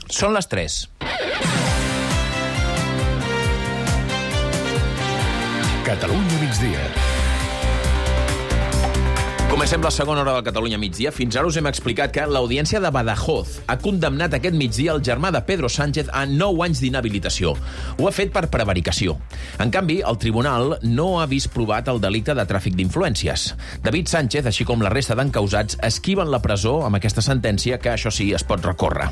Són les 3. Catalunya migdia. Comencem la segona hora del Catalunya migdia. Fins ara us hem explicat que l'Audiència de Badajoz ha condemnat aquest migdia el germà de Pedro Sánchez a 9 anys d'inhabilitació. Ho ha fet per prevaricació. En canvi, el tribunal no ha vist provat el delicte de tràfic d'influències. David Sánchez, així com la resta d'encausats, esquiven la presó amb aquesta sentència que, això sí, es pot recórrer.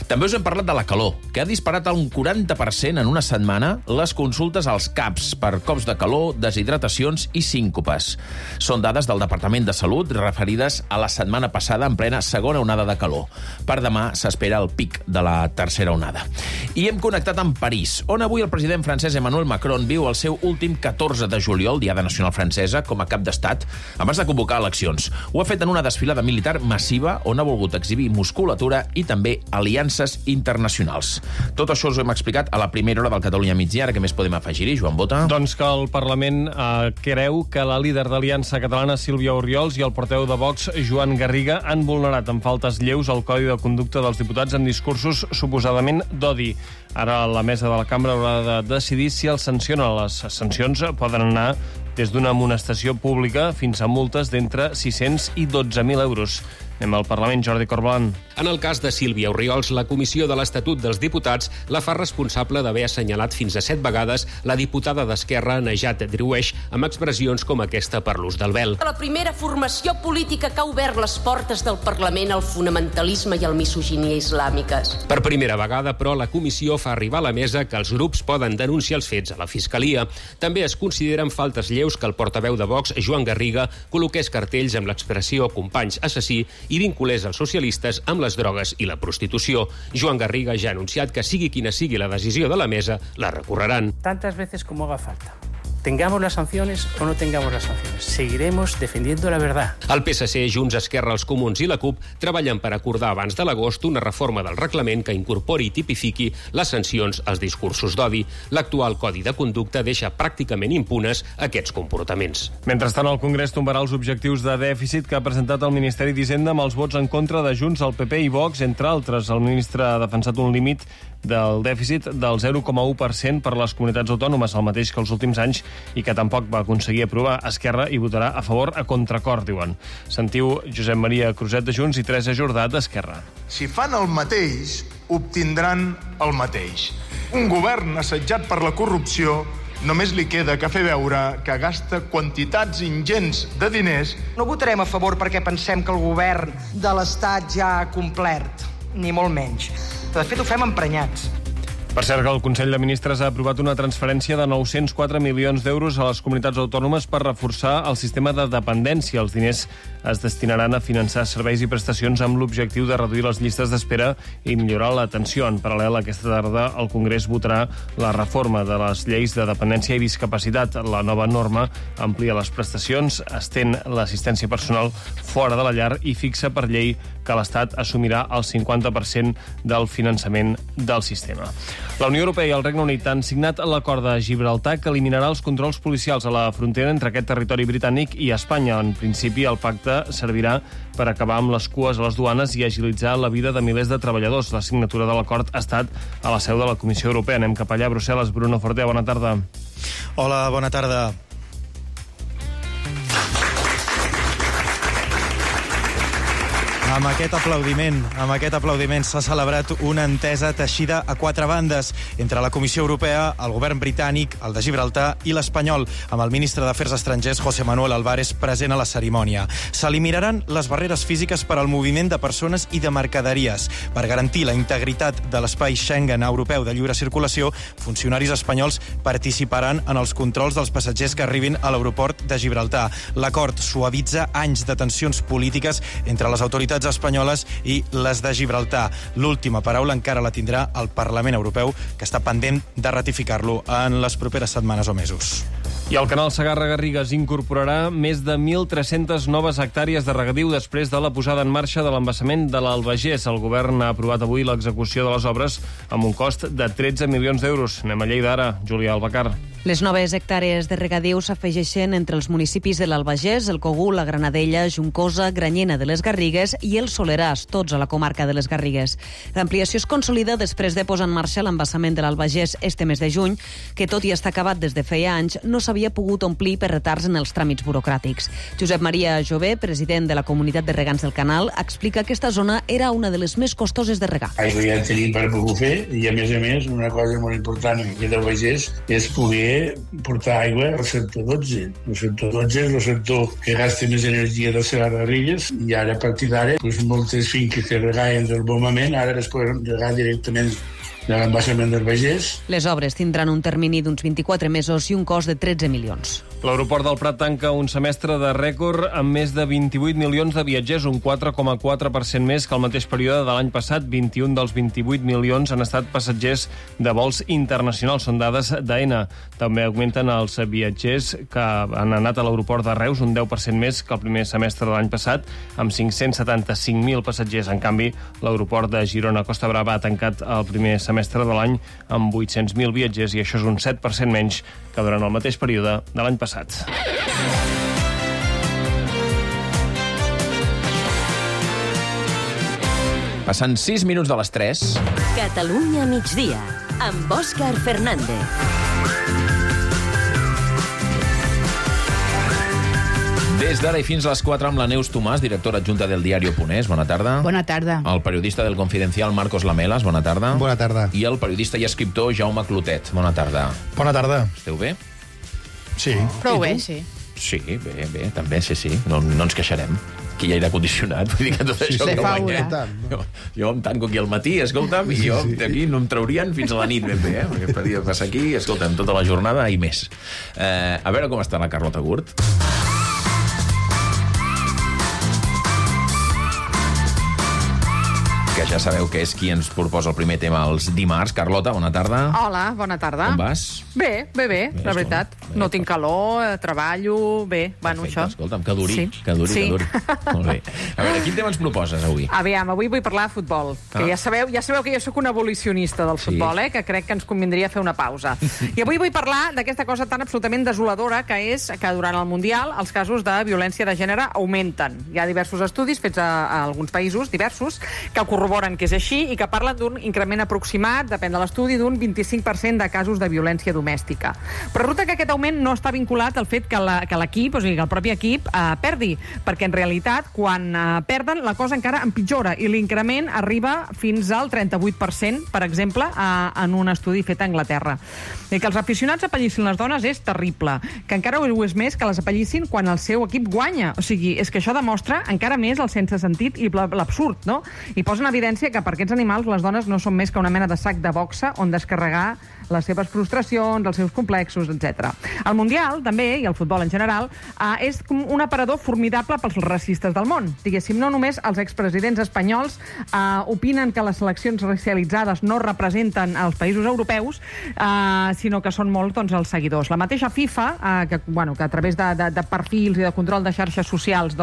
També us hem parlat de la calor, que ha disparat un 40% en una setmana les consultes als CAPs per cops de calor, deshidratacions i síncopes. Són dades del Departament de Salut referides a la setmana passada en plena segona onada de calor. Per demà s'espera el pic de la tercera onada. I hem connectat amb París, on avui el president francès Emmanuel Macron viu el seu últim 14 de juliol, Diada Nacional Francesa, com a cap d'estat, abans de convocar eleccions. Ho ha fet en una desfilada militar massiva on ha volgut exhibir musculatura i també aliances internacionals. Tot això us ho hem explicat a la primera hora del Catalunya migdia. Ara què més podem afegir-hi, Joan Bota? Doncs que el Parlament creu que la líder d'Aliança Catalana, Sílvia Oriols, i el portaveu de Vox, Joan Garriga, han vulnerat amb faltes lleus el Codi de Conducta dels Diputats en discursos suposadament d'odi. Ara la mesa de la cambra haurà de decidir si els sanciona. Les sancions poden anar des d'una amonestació pública fins a multes d'entre 600 i 12.000 euros. Anem al Parlament, Jordi Corbalan. En el cas de Sílvia Oriols, la Comissió de l'Estatut dels Diputats la fa responsable d'haver assenyalat fins a 7 vegades la diputada d'Esquerra, Najat Driouech, amb expressions com aquesta per l'ús del vel. La primera formació política que ha obert les portes del Parlament al fonamentalisme i al misoginia islàmiques. Per primera vegada, però, la comissió fa arribar a la mesa que els grups poden denunciar els fets a la Fiscalia. També es consideren faltes lleus que el portaveu de Vox, Joan Garriga, col·loqués cartells amb l'expressió «companys assassí» i vinculés els socialistes amb les drogues i la prostitució. Joan Garriga ja ha anunciat que sigui quina sigui la decisió de la mesa, la recorreran. Tantas veces como haga falta. Tengamos las sanciones o no tengamos las sanciones. Seguiremos defendiendo la verdad. El PSC, Junts, Esquerra, els Comuns i la CUP treballen per acordar abans de l'agost una reforma del reglament que incorpori i tipifiqui les sancions als discursos d'odi. L'actual Codi de Conducta deixa pràcticament impunes aquests comportaments. Mentrestant, el Congrés tombarà els objectius de dèficit que ha presentat el Ministeri d'Hisenda amb els vots en contra de Junts, el PP i Vox, entre altres. El ministre ha defensat un límit del dèficit del 0,1% per les comunitats autònomes, el mateix que els últims anys, i que tampoc va aconseguir aprovar. Esquerra hi votarà a favor a contracor, diuen. Sentiu Josep Maria Cruzet de Junts i Teresa Jordà d'Esquerra. Si fan el mateix, obtindran el mateix. Un govern assetjat per la corrupció només li queda que fer veure que gasta quantitats ingents de diners. No votarem a favor perquè pensem que el govern de l'Estat ja ha complert, ni molt menys. De fet, ho fem emprenyats. Per cert, que el Consell de Ministres ha aprovat una transferència de 904 milions d'euros a les comunitats autònomes per reforçar el sistema de dependència. Els diners es destinaran a finançar serveis i prestacions amb l'objectiu de reduir les llistes d'espera i millorar l'atenció. En paral·lel, aquesta tarda el Congrés votarà la reforma de les lleis de dependència i discapacitat. La nova norma amplia les prestacions, estén l'assistència personal fora de la llar i fixa per llei que l'Estat assumirà el 50% del finançament del sistema. La Unió Europea i el Regne Unit han signat l'acord de Gibraltar que eliminarà els controls policials a la frontera entre aquest territori britànic i Espanya. En principi, el pacte servirà per acabar amb les cues a les duanes i agilitzar la vida de milers de treballadors. La signatura de l'acord ha estat a la seu de la Comissió Europea. Anem cap allà, a Brussel·les. Bruno Fortea, bona tarda. Hola, bona tarda. Amb aquest aplaudiment s'ha celebrat una entesa teixida a 4 bandes entre la Comissió Europea, el govern britànic, el de Gibraltar i l'espanyol, amb el ministre d'Afers Estrangers, José Manuel Álvarez, present a la cerimònia. S'eliminaran les barreres físiques per al moviment de persones i de mercaderies. Per garantir la integritat de l'espai Schengen europeu de lliure circulació, funcionaris espanyols participaran en els controls dels passatgers que arribin a l'aeroport de Gibraltar. L'acord suavitza anys de tensions polítiques entre les autoritats espanyoles i les de Gibraltar. L'última paraula encara la tindrà el Parlament Europeu, que està pendent de ratificar-lo en les properes setmanes o mesos. I el canal Segarra-Garrigues incorporarà més de 1.300 noves hectàrees de regadiu després de la posada en marxa de l'embassament de l'Albagés. El govern ha aprovat avui l'execució de les obres amb un cost de 13 milions d'euros. Anem a Lleida ara, Júlia Albacar. Les noves hectàrees de regadiu s'afegeixen entre els municipis de l'Albagés, el Cogul, la Granadella, Juncosa, Granyena de les Garrigues i el Soleràs, tots a la comarca de les Garrigues. L'ampliació es consolida després de posar en marxa l'embassament de l'Albagés este mes de juny, que tot i estar acabat des de feia anys, no s'havia pogut omplir per retards en els tràmits burocràtics. Josep Maria Jové, president de la Comunitat de Regants del Canal, explica que aquesta zona era una de les més costoses de regar. Aigua ja tenim per poder fer i, a més, una cosa molt important aquí del Bages és poder portar aigua al sector 12. El sector 12 és el sector que gasta més energia de les Garrigues i ara, a partir d'ara, moltes finques que regaven del bon moment ara es poden regar directament de l'embassament del Bages. Les obres tindran un termini d'uns 24 mesos i un cost de 13 milions. L'aeroport del Prat tanca un semestre de rècord amb més de 28 milions de viatgers, un 4,4% més que el mateix període de l'any passat. 21 dels 28 milions han estat passatgers de vols internacionals, són dades d'AENA. També augmenten els viatgers que han anat a l'aeroport de Reus, un 10% més que el primer semestre de l'any passat, amb 575.000 passatgers. En canvi, l'aeroport de Girona-Costa Brava ha tancat el primer semestre de l'any amb 800.000 viatgers i això és un 7% menys que durant el mateix període de l'any passat. Passant 6 minuts de les 3. Catalunya migdia, amb Òscar Fernández. Des d'ara i fins a les 4 amb la Neus Tomàs, directora adjunta del diario.es. Bona tarda. Bona tarda. El periodista del Confidencial, Marcos Lamelas. Bona tarda. Bona tarda. I el periodista i escriptor Jaume Clotet. Bona tarda. Bona tarda. Esteu bé? Sí. Prou bé, sí. Sí, bé, també, sí. No ens queixarem. Aquí hi ha aire condicionat, vull dir que tot això que guanya. Jo em tanco aquí al matí, escolta'm, i jo d'aquí no em traurien fins a la nit ben bé, perquè podria passar aquí, escolta'm, tota la jornada i més. A veure com està la Carlota Gurt. Que ja sabeu que és qui ens proposa el primer tema els dimarts. Carlota, bona tarda. Hola, bona tarda. Com vas? Bé, la veritat. No tinc calor, treballo, bé, bueno, això. Escolta'm, que duri. Molt bé. A veure, quin tema ens proposes avui? Aviam, avui vull parlar de futbol. Que ja sabeu que jo sóc un abolicionista del futbol, que crec que ens convindria fer una pausa. I avui vull parlar d'aquesta cosa tan absolutament desoladora que és que durant el Mundial els casos de violència de gènere augmenten. Hi ha diversos estudis fets a alguns països, diversos, que corroboren que és així i que parlen d'un increment aproximat, depèn de l'estudi, d'un 25% de casos de violència domèstica. Però resulta que aquest augment no està vinculat al fet que l'equip, o sigui, que el propi equip perdi, perquè en realitat quan perden la cosa encara empitjora i l'increment arriba fins al 38%, per exemple, en un estudi fet a Anglaterra. I que els aficionats apallissin les dones és terrible, que encara ho és més que les apallissin quan el seu equip guanya. O sigui, és que això demostra encara més el sense sentit i l'absurd, no? I posa en evidència que per aquests animals les dones no són més que una mena de sac de boxa on descarregar les seves frustracions, els seus complexos, etc. El Mundial, també, i el futbol en general, és un aparador formidable pels racistes del món. Diguéssim, no només els expresidents espanyols opinen que les seleccions racialitzades no representen els països europeus, sinó que són molt els seguidors. La mateixa FIFA, que a través de perfils i de control de xarxes socials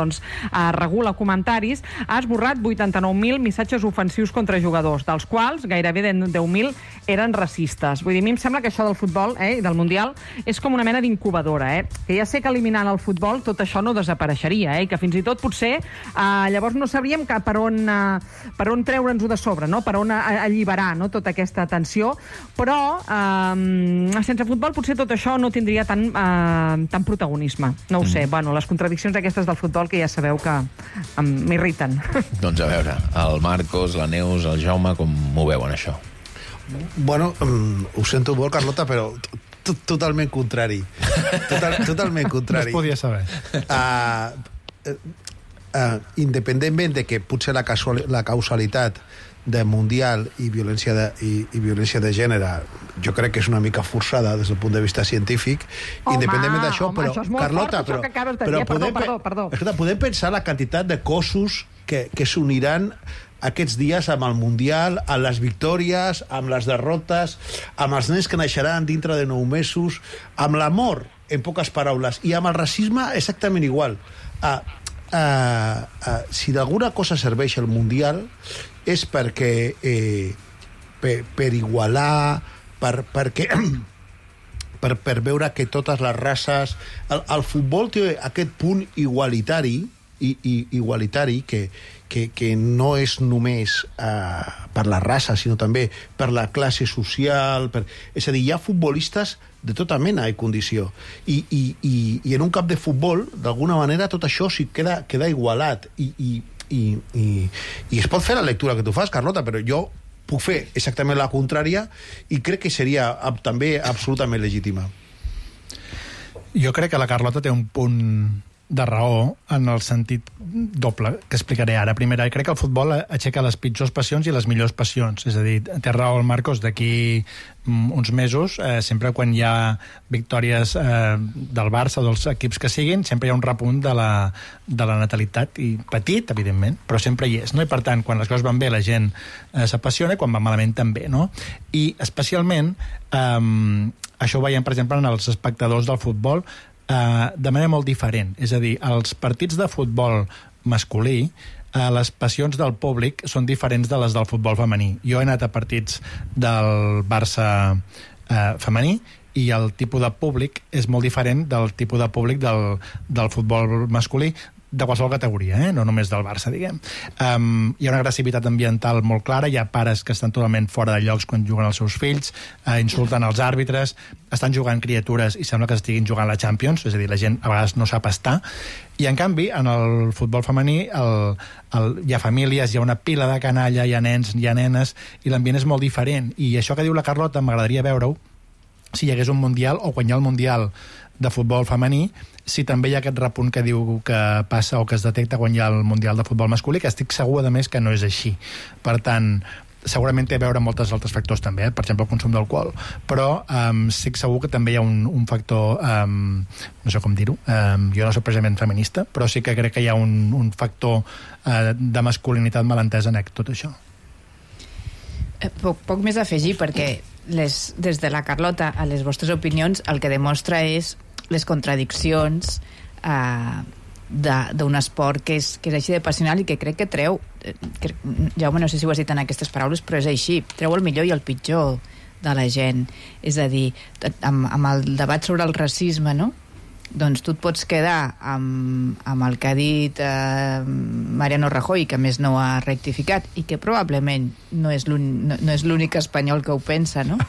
regula comentaris, ha esborrat 89.000 missatges ofensius contra jugadors, dels quals gairebé 10.000 eren racistes. Vull dir, a mi em sembla que això del futbol i del Mundial és com una mena d'incubadora, que ja sé que eliminant el futbol tot això no desapareixeria, i que fins i tot potser llavors no sabríem per on treure'ns-ho de sobre, no? Per on alliberar, no? Tota aquesta tensió, però sense futbol potser tot això no tindria tant protagonisme. No ho sé, les contradiccions aquestes del futbol que ja sabeu que m'irriten. Doncs a veure, el Marcos, la Neus, el Jaume, com ho veuen això? Bueno, ho sento molt, Carlota, però totalment contrari. Totalment contrari. No es podia saber. Independentment de que potser la causalitat de Mundial i violència de gènere jo crec que és una mica forçada des del punt de vista científic, independentment d'això, però, Carlota, podem pensar la quantitat de cossos que s'uniran aquests dies amb el Mundial, amb les victòries, amb les derrotes, amb els nens que naixeran dintre de 9 mesos, amb l'amor, en poques paraules, i amb el racisme exactament igual. Si d'alguna cosa serveix el Mundial és perquè per igualar, perquè per veure que totes les races... El futbol té aquest punt igualitari que no és només per la raça, sinó també per la classe social. És a dir, hi ha futbolistes de tota mena i condició. I en un camp de futbol, d'alguna manera, tot això sí queda igualat. I es pot fer la lectura que tu fas, Carlota, però jo puc fer exactament la contrària i crec que seria també absolutament legítima. Jo crec que la Carlota té un punt de raó en el sentit doble que explicaré ara. Primera, crec que el futbol aixeca les pitjors passions i les millors passions. És a dir, té raó el Marcos, d'aquí uns mesos, sempre quan hi ha victòries del Barça o dels equips que siguin, sempre hi ha un repunt de la natalitat, i petit, evidentment, però sempre hi és, no? I per tant, quan les coses van bé la gent s'apassiona, i quan va malament també, no? I especialment això ho veiem, per exemple, en els espectadors del futbol de manera molt diferent. És a dir, els partits de futbol masculí, les passions del públic són diferents de les del futbol femení. Jo he anat a partits del Barça femení i el tipus de públic és molt diferent del tipus de públic del futbol masculí, de qualsevol categoria, no només del Barça, diguem. Hi ha una agressivitat ambiental molt clara, hi ha pares que estan totalment fora de llocs quan juguen els seus fills, insulten els àrbitres, estan jugant criatures i sembla que estiguin jugant la Champions, és a dir, la gent a vegades no sap estar. I en canvi, en el futbol femení hi ha famílies, hi ha una pila de canalla, hi ha nens, hi ha nenes, i l'ambient és molt diferent. I això que diu la Carlota m'agradaria veure-ho si hi hagués un Mundial, o quan hi ha el Mundial de futbol femení, si també hi ha aquest repunt que diu que passa o que es detecta quan hi ha el Mundial de futbol masculí, que estic segur, a més, que no és així. Per tant, segurament té a veure amb molts altres factors també, per exemple el consum d'alcohol, però estic segur que també hi ha un factor, no sé com dir-ho, jo no soc precisament feminista, però sí que crec que hi ha un factor de masculinitat malentesa en tot això. Poc més a afegir, perquè des de la Carlota a les vostres opinions el que demostra és les contradiccions d'un esport que és així de passional i que crec que treu, Jaume, no sé si ho has dit en aquestes paraules, però és així, treu el millor i el pitjor de la gent. És a dir, amb el debat sobre el racisme, no? Doncs tu et pots quedar amb el que ha dit Mariano Rajoy, que a més no ha rectificat, i que probablement no és l'únic espanyol que ho pensa, no?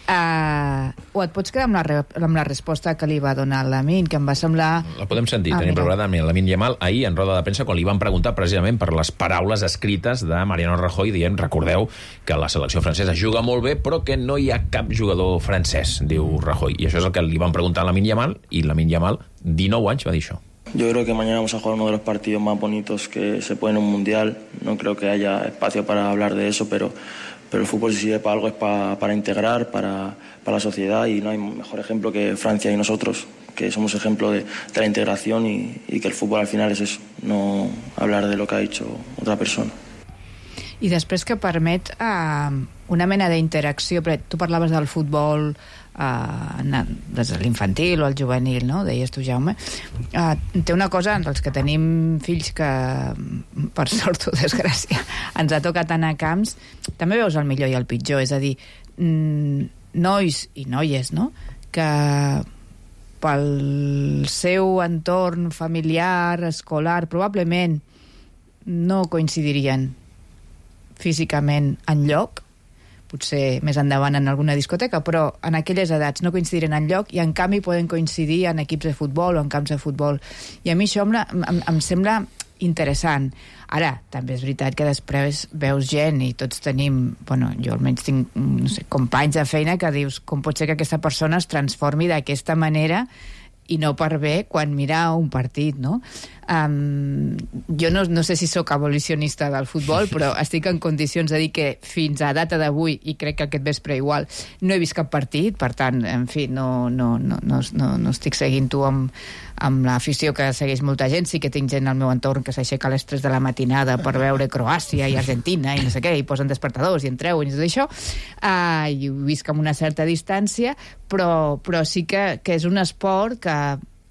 O et pots quedar amb la resposta que li va donar Lamine, que em va semblar... La podem sentir, tenim preparada amb Lamine Yamal ahir en roda de premsa, quan li van preguntar precisament per les paraules escrites de Mariano Rajoy, dient, recordeu que la selecció francesa juga molt bé, però que no hi ha cap jugador francès, diu Rajoy. I això és el que li van preguntar a Lamine Yamal, i Lamine Yamal, 19 anys, va dir això. Yo creo que mañana vamos a jugar uno de los partidos más bonitos que se puede en un mundial. No creo que haya espacio para hablar de eso, pero el fútbol, si sirve para algo, es para integrar, para la sociedad, y no hay mejor ejemplo que Francia y nosotros, que somos ejemplo de la integración y que el fútbol al final es eso, no hablar de lo que ha dicho otra persona. I després que permet una mena d'interacció, perquè tu parlaves del futbol des de l'infantil o el juvenil, no? Deies tu, Jaume. Té una cosa, els que tenim fills que, per sort o desgràcia, ens ha tocat anar a camps, també veus el millor i el pitjor, és a dir, nois i noies, no?, que pel seu entorn familiar, escolar, probablement no coincidirien físicament enlloc, potser més endavant en alguna discoteca, però en aquelles edats no coincidiren enlloc i en canvi poden coincidir en equips de futbol o en camps de futbol. I a mi això em sembla interessant. Ara, també és veritat que després veus gent i tots tenim, bueno, jo almenys tinc, no sé, companys de feina que dius com pot ser que aquesta persona es transformi d'aquesta manera i no per bé quan mira un partit, no? Jo no sé si sóc abolicionista del futbol, però estic en condicions de dir que fins a data d'avui, i crec que aquest vespre igual, no he vist cap partit, per tant, en fi, no estic seguint tu amb l'afició que segueix molta gent. Sí que tinc gent al meu entorn que s'aixeca a les 3 de la matinada per veure Croàcia i Argentina i no sé què, i posen despertadors i entreu i tot això, i ho visc amb una certa distància, però sí que és un esport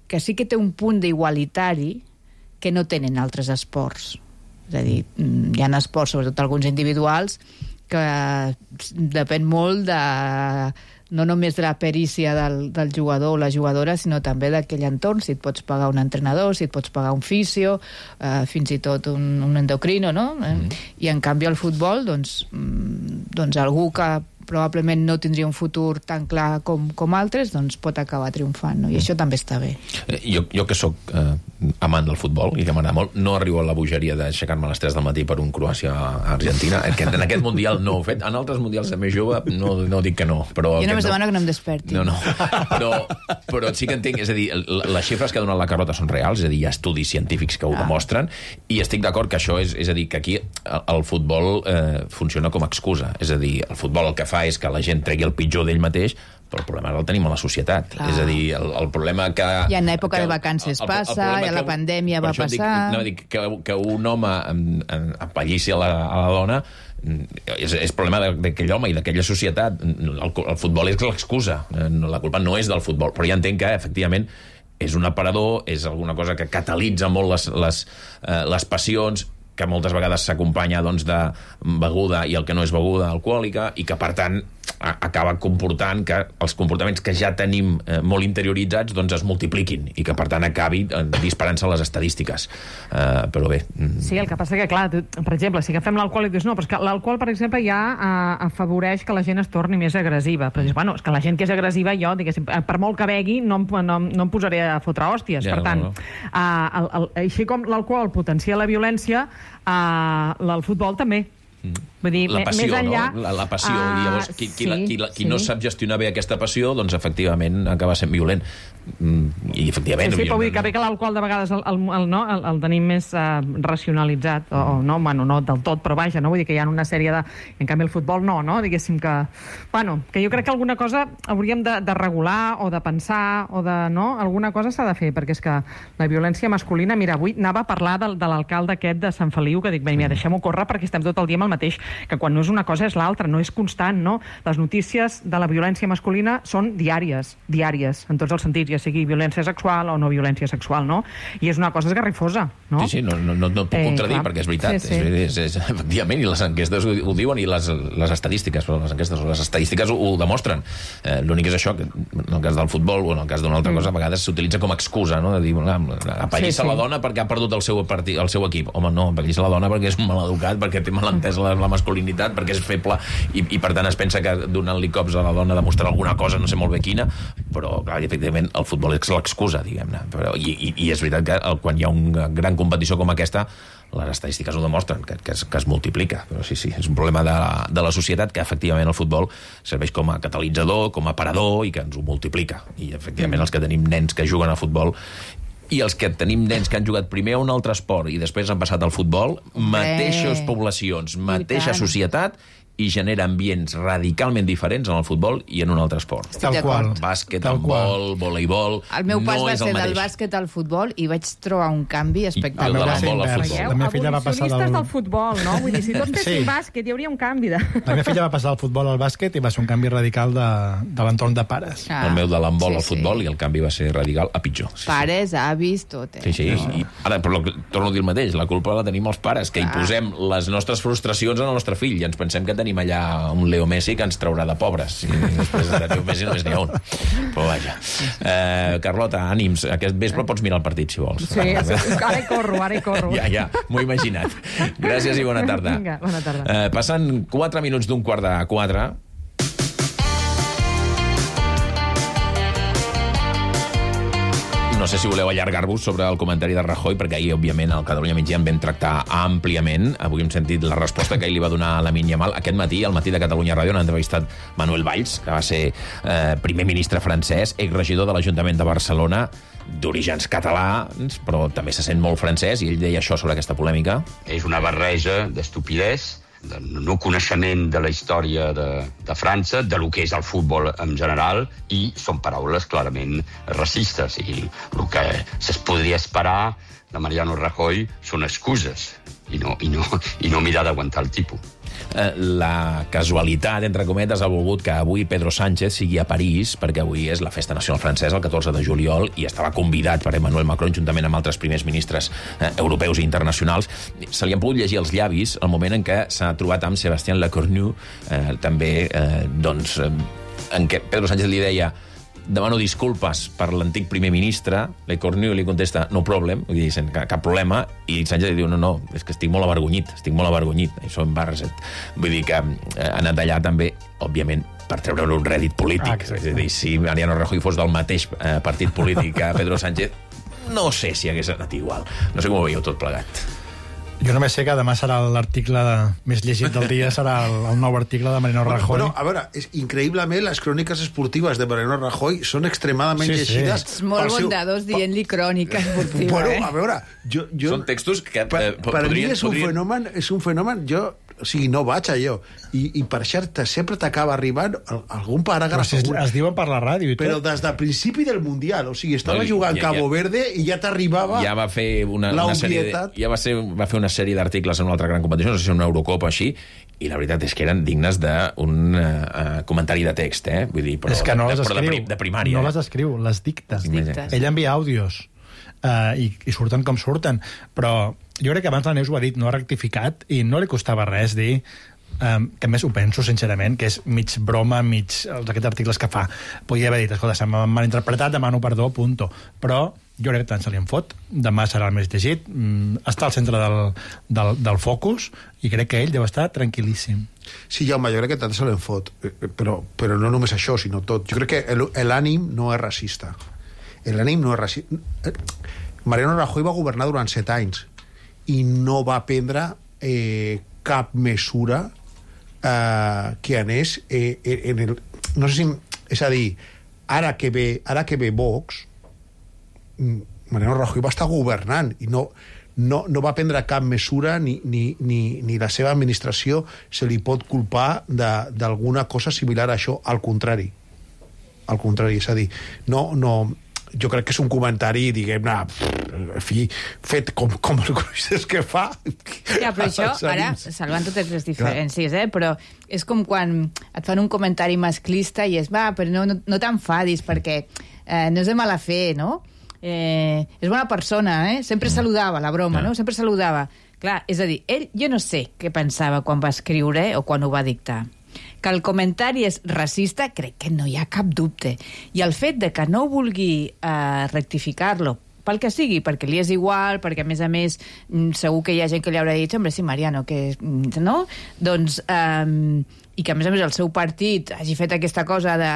que sí que té un punt d'igualitari que no tenen altres esports. És a dir, hi ha esports, sobretot alguns individuals, que depèn molt no només de la perícia del jugador o la jugadora, sinó també d'aquell entorn, si et pots pagar un entrenador, si et pots pagar un fisio, fins i tot un endocrino, no? I en canvi al futbol, doncs algú que probablement no tindria un futur tan clar com altres, doncs pot acabar triomfant, no? I això també està bé. Jo que sóc amant del futbol i que m'agrada molt, no arribo a la bogeria d'aixecar-me a les 3 del matí per un Croàcia-Argentina, que en aquest mundial no ho he fet. En altres mundials de més jove no dic que no. Però jo només demano que no em desperti. No. Però sí que entenc, és a dir, les xifres que ha donat la Carlota són reals, és a dir, hi ha estudis científics que ho demostren, i estic d'acord que això és a dir, que aquí el futbol funciona com a excusa. És a dir, el futbol el que fa és que la gent tregui el pitjor d'ell mateix, però el problema el tenim a la societat. Clar. És a dir, el problema que... I en època de vacances passa, i a la pandèmia va passar... Que un home apallissi a la dona és problema d'aquell home i d'aquella societat. El futbol és l'excusa. La culpa no és del futbol, però ja entenc que, efectivament, és un aparador, és alguna cosa que catalitza molt les passions, que moltes vegades s'acompanya de beguda i el que no és beguda alcohòlica, i que, per tant, acaba comportant que els comportaments que ja tenim molt interioritzats es multipliquin i que, per tant, acabi disparant-se les estadístiques. Però bé... Sí, el que passa que, clar, per exemple, si agafem l'alcohol i dius, no, però és que l'alcohol, per exemple, ja afavoreix que la gent es torni més agressiva. Però dius, bueno, és que la gent que és agressiva, jo, diguéssim, per molt que begui, no em posaré a fotre hòsties. Per tant, així com l'alcohol potencia la violència, el futbol també. Vull dir, la passió, més enllà... no? La passió. I llavors, qui no sap gestionar bé aquesta passió, doncs, efectivament, acaba sent violent. I, efectivament... Sí, però vull dir que bé que l'alcohol de vegades el tenim més racionalitzat, o no, bueno, no del tot, però vaja, no? Vull dir que hi ha una sèrie de... En canvi, el futbol no, diguéssim que... Bueno, que jo crec que alguna cosa hauríem de regular, o de pensar, o de... No? Alguna cosa s'ha de fer, perquè és que la violència masculina... Mira, avui anava a parlar de l'alcalde aquest de Sant Feliu, que dic, mira, deixem-ho córrer perquè estem tot el dia amb el mateix, que quan no és una cosa és l'altra, no és constant, no? Les notícies de la violència masculina són diàries, en tots els sentits, ja sigui violència sexual o no violència sexual, no? I és una cosa esgarrifosa, no? Sí, no puc contradir, perquè és veritat. Sí. És, efectivament, i les enquestes ho diuen, i les estadístiques, però les estadístiques ho demostren. L'únic és això, que en el cas del futbol o en el cas d'una altra cosa, a vegades s'utilitza com a excusa, no? De dir, apallissa la dona perquè ha perdut el seu equip. Home, no, apallissa la dona perquè és un maleducat, perquè té mal entès la masculinitat, perquè és feble, i per tant es pensa que donant-li cops a la dona demostrarà alguna cosa, no sé molt bé quina, però clar, efectivament el futbol és l'excusa, diguem-ne. I és veritat que quan hi ha una gran competició com aquesta, les estadístiques ho demostren, que es multiplica. Però sí, és un problema de la societat, que efectivament el futbol serveix com a catalitzador, com a parador, i que ens ho multiplica. I efectivament els que tenim nens que juguen a futbol i els que tenim nens que han jugat primer a un altre esport i després han passat al futbol, mateixes poblacions, mateixa societat, i genera ambients radicalment diferents en el futbol i en un altre esport. Tal qual. Bàsquet, handbol, voleibol... El meu pas va ser del bàsquet al futbol i vaig trobar un canvi espectacular. La meva filla va passar del futbol, no? Vull dir, si tots fessin bàsquet hi hauria un canvi de... La meva filla va passar del futbol al bàsquet i va ser un canvi radical de l'entorn de pares. El meu de l'handbol al futbol i el canvi va ser radical a pitjor. Pares, avis, tot. Sí. I ara, però torno a dir el mateix, la culpa la tenim els pares, que hi posem les nostres frustracions en el nostre fill i ens pensem que tenim allà un Leo Messi que ens traurà de pobres, i després de Leo Messi només n'hi ha un. Però vaja. Carlota, ànims, aquest vespre pots mirar el partit, si vols. Sí, ara hi corro. Ja, m'ho he imaginat. Gràcies i bona tarda. Vinga, bona tarda. Passant 4 minuts d'un quart de 4. No sé si voleu allargar-vos sobre el comentari de Rajoy, perquè ahir, òbviament, al Catalunya Migdia en vam tractar àmpliament. Avui hem sentit la resposta que ell li va donar a Lamine Yamal. Aquest matí, al matí de Catalunya Ràdio, han entrevistat Manuel Valls, que va ser primer ministre francès, exregidor de l'Ajuntament de Barcelona, d'orígens catalans, però també se sent molt francès, i ell deia això sobre aquesta polèmica. És una barreja d'estupidesa, de no coneixement de la història de França, de lo que és el futbol en general, i són paraules clarament racistes. I el que es podria esperar de Mariano Rajoy són excuses i no mirar d'aguantar el tipus. La casualitat, entre cometes, ha volgut que avui Pedro Sánchez sigui a París, perquè avui és la festa nacional francesa, el 14 de juliol, i estava convidat per Emmanuel Macron, juntament amb altres primers ministres europeus i internacionals. Se li han pogut llegir els llavis el moment en què s'ha trobat amb Sébastien Lecornu, també, doncs, en què Pedro Sánchez li deia: demano disculpes per l'antic primer ministre. Lecornu li contesta: no problem, vull dir, cap problema, i Sánchez li diu: no, és que estic molt avergonyit, això embarraset. Vull dir que ha anat allà també, òbviament, per treure un rèdit polític. És a dir, si Mariano Rajoy fos del mateix partit polític que Pedro Sánchez, no sé si hagués anat igual. No sé com ho veieu tot plegat. Jo només sé que demà serà l'article més llegit del dia, serà el nou article de Mariano Rajoy. Bueno, a veure, increïblement, les cròniques esportives de Mariano Rajoy són extremadament llegides. És molt bondadós dient-li crònica esportiva. Bueno, a veure, jo... Són textos que per mi és un fenomen, o sigui, no vaig allò. I per cert, sempre t'acaba arribant algun paràgraf. Es diuen per la ràdio i tot. Però des del principi del Mundial, o sigui, estava jugant Cabo Verde i ja t'arribava ja va fer una sèrie va fer una sèrie d'articles en una altra gran competició, no sé si una Eurocopa així, i la veritat és que eren dignes d'un comentari de text, vull dir, però, és que no les escriu, de primària. No les escriu, les dicta. Ell envia àudios i surten com surten, però jo crec que abans la Neus ho ha dit, no ha rectificat, i no li costava res dir que més ho penso, sincerament, que és mig broma, aquests articles que fa. Podia haver dit: escolta, se m'ha malinterpretat, demano perdó, punto. Però jo crec que tant se li en fot. Demà serà el més llegit, està al centre del focus, i crec que ell deu estar tranquil·líssim. Sí, Jaume, jo crec que tant se li en fot, però no només això, sinó tot. Jo crec que l'ànim no és racista. L'ànim no és racista. Mariano Rajoy va governar durant 7 anys i no va prendre cap mesura que anés en el... No sé si... És a dir, ara que ve Vox, Mariano Rajoy va estar governant i no va prendre cap mesura ni la seva administració se li pot culpar d'alguna cosa similar a això. Al contrari, és a dir, jo crec que és un comentari, diguem-ne, en fi, fet com els cruixes que fa. Ja, però això, ara, salvant totes les diferències, però és com quan et fan un comentari masclista i és, però no t'enfadis, perquè no és de mala fe, no? És bona persona, sempre saludava, la broma, no? Sempre saludava. Clar, és a dir, ell, jo no sé què pensava quan va escriure o quan ho va dictar. Que el comentari és racista, crec que no hi ha cap dubte. I el fet de que no vulgui rectificar-lo, pel que sigui, perquè li és igual, perquè, a més, segur que hi ha gent que li haurà dit: hombre, sí, Mariano, que... no? Doncs... i que, a més, el seu partit hagi fet aquesta cosa de...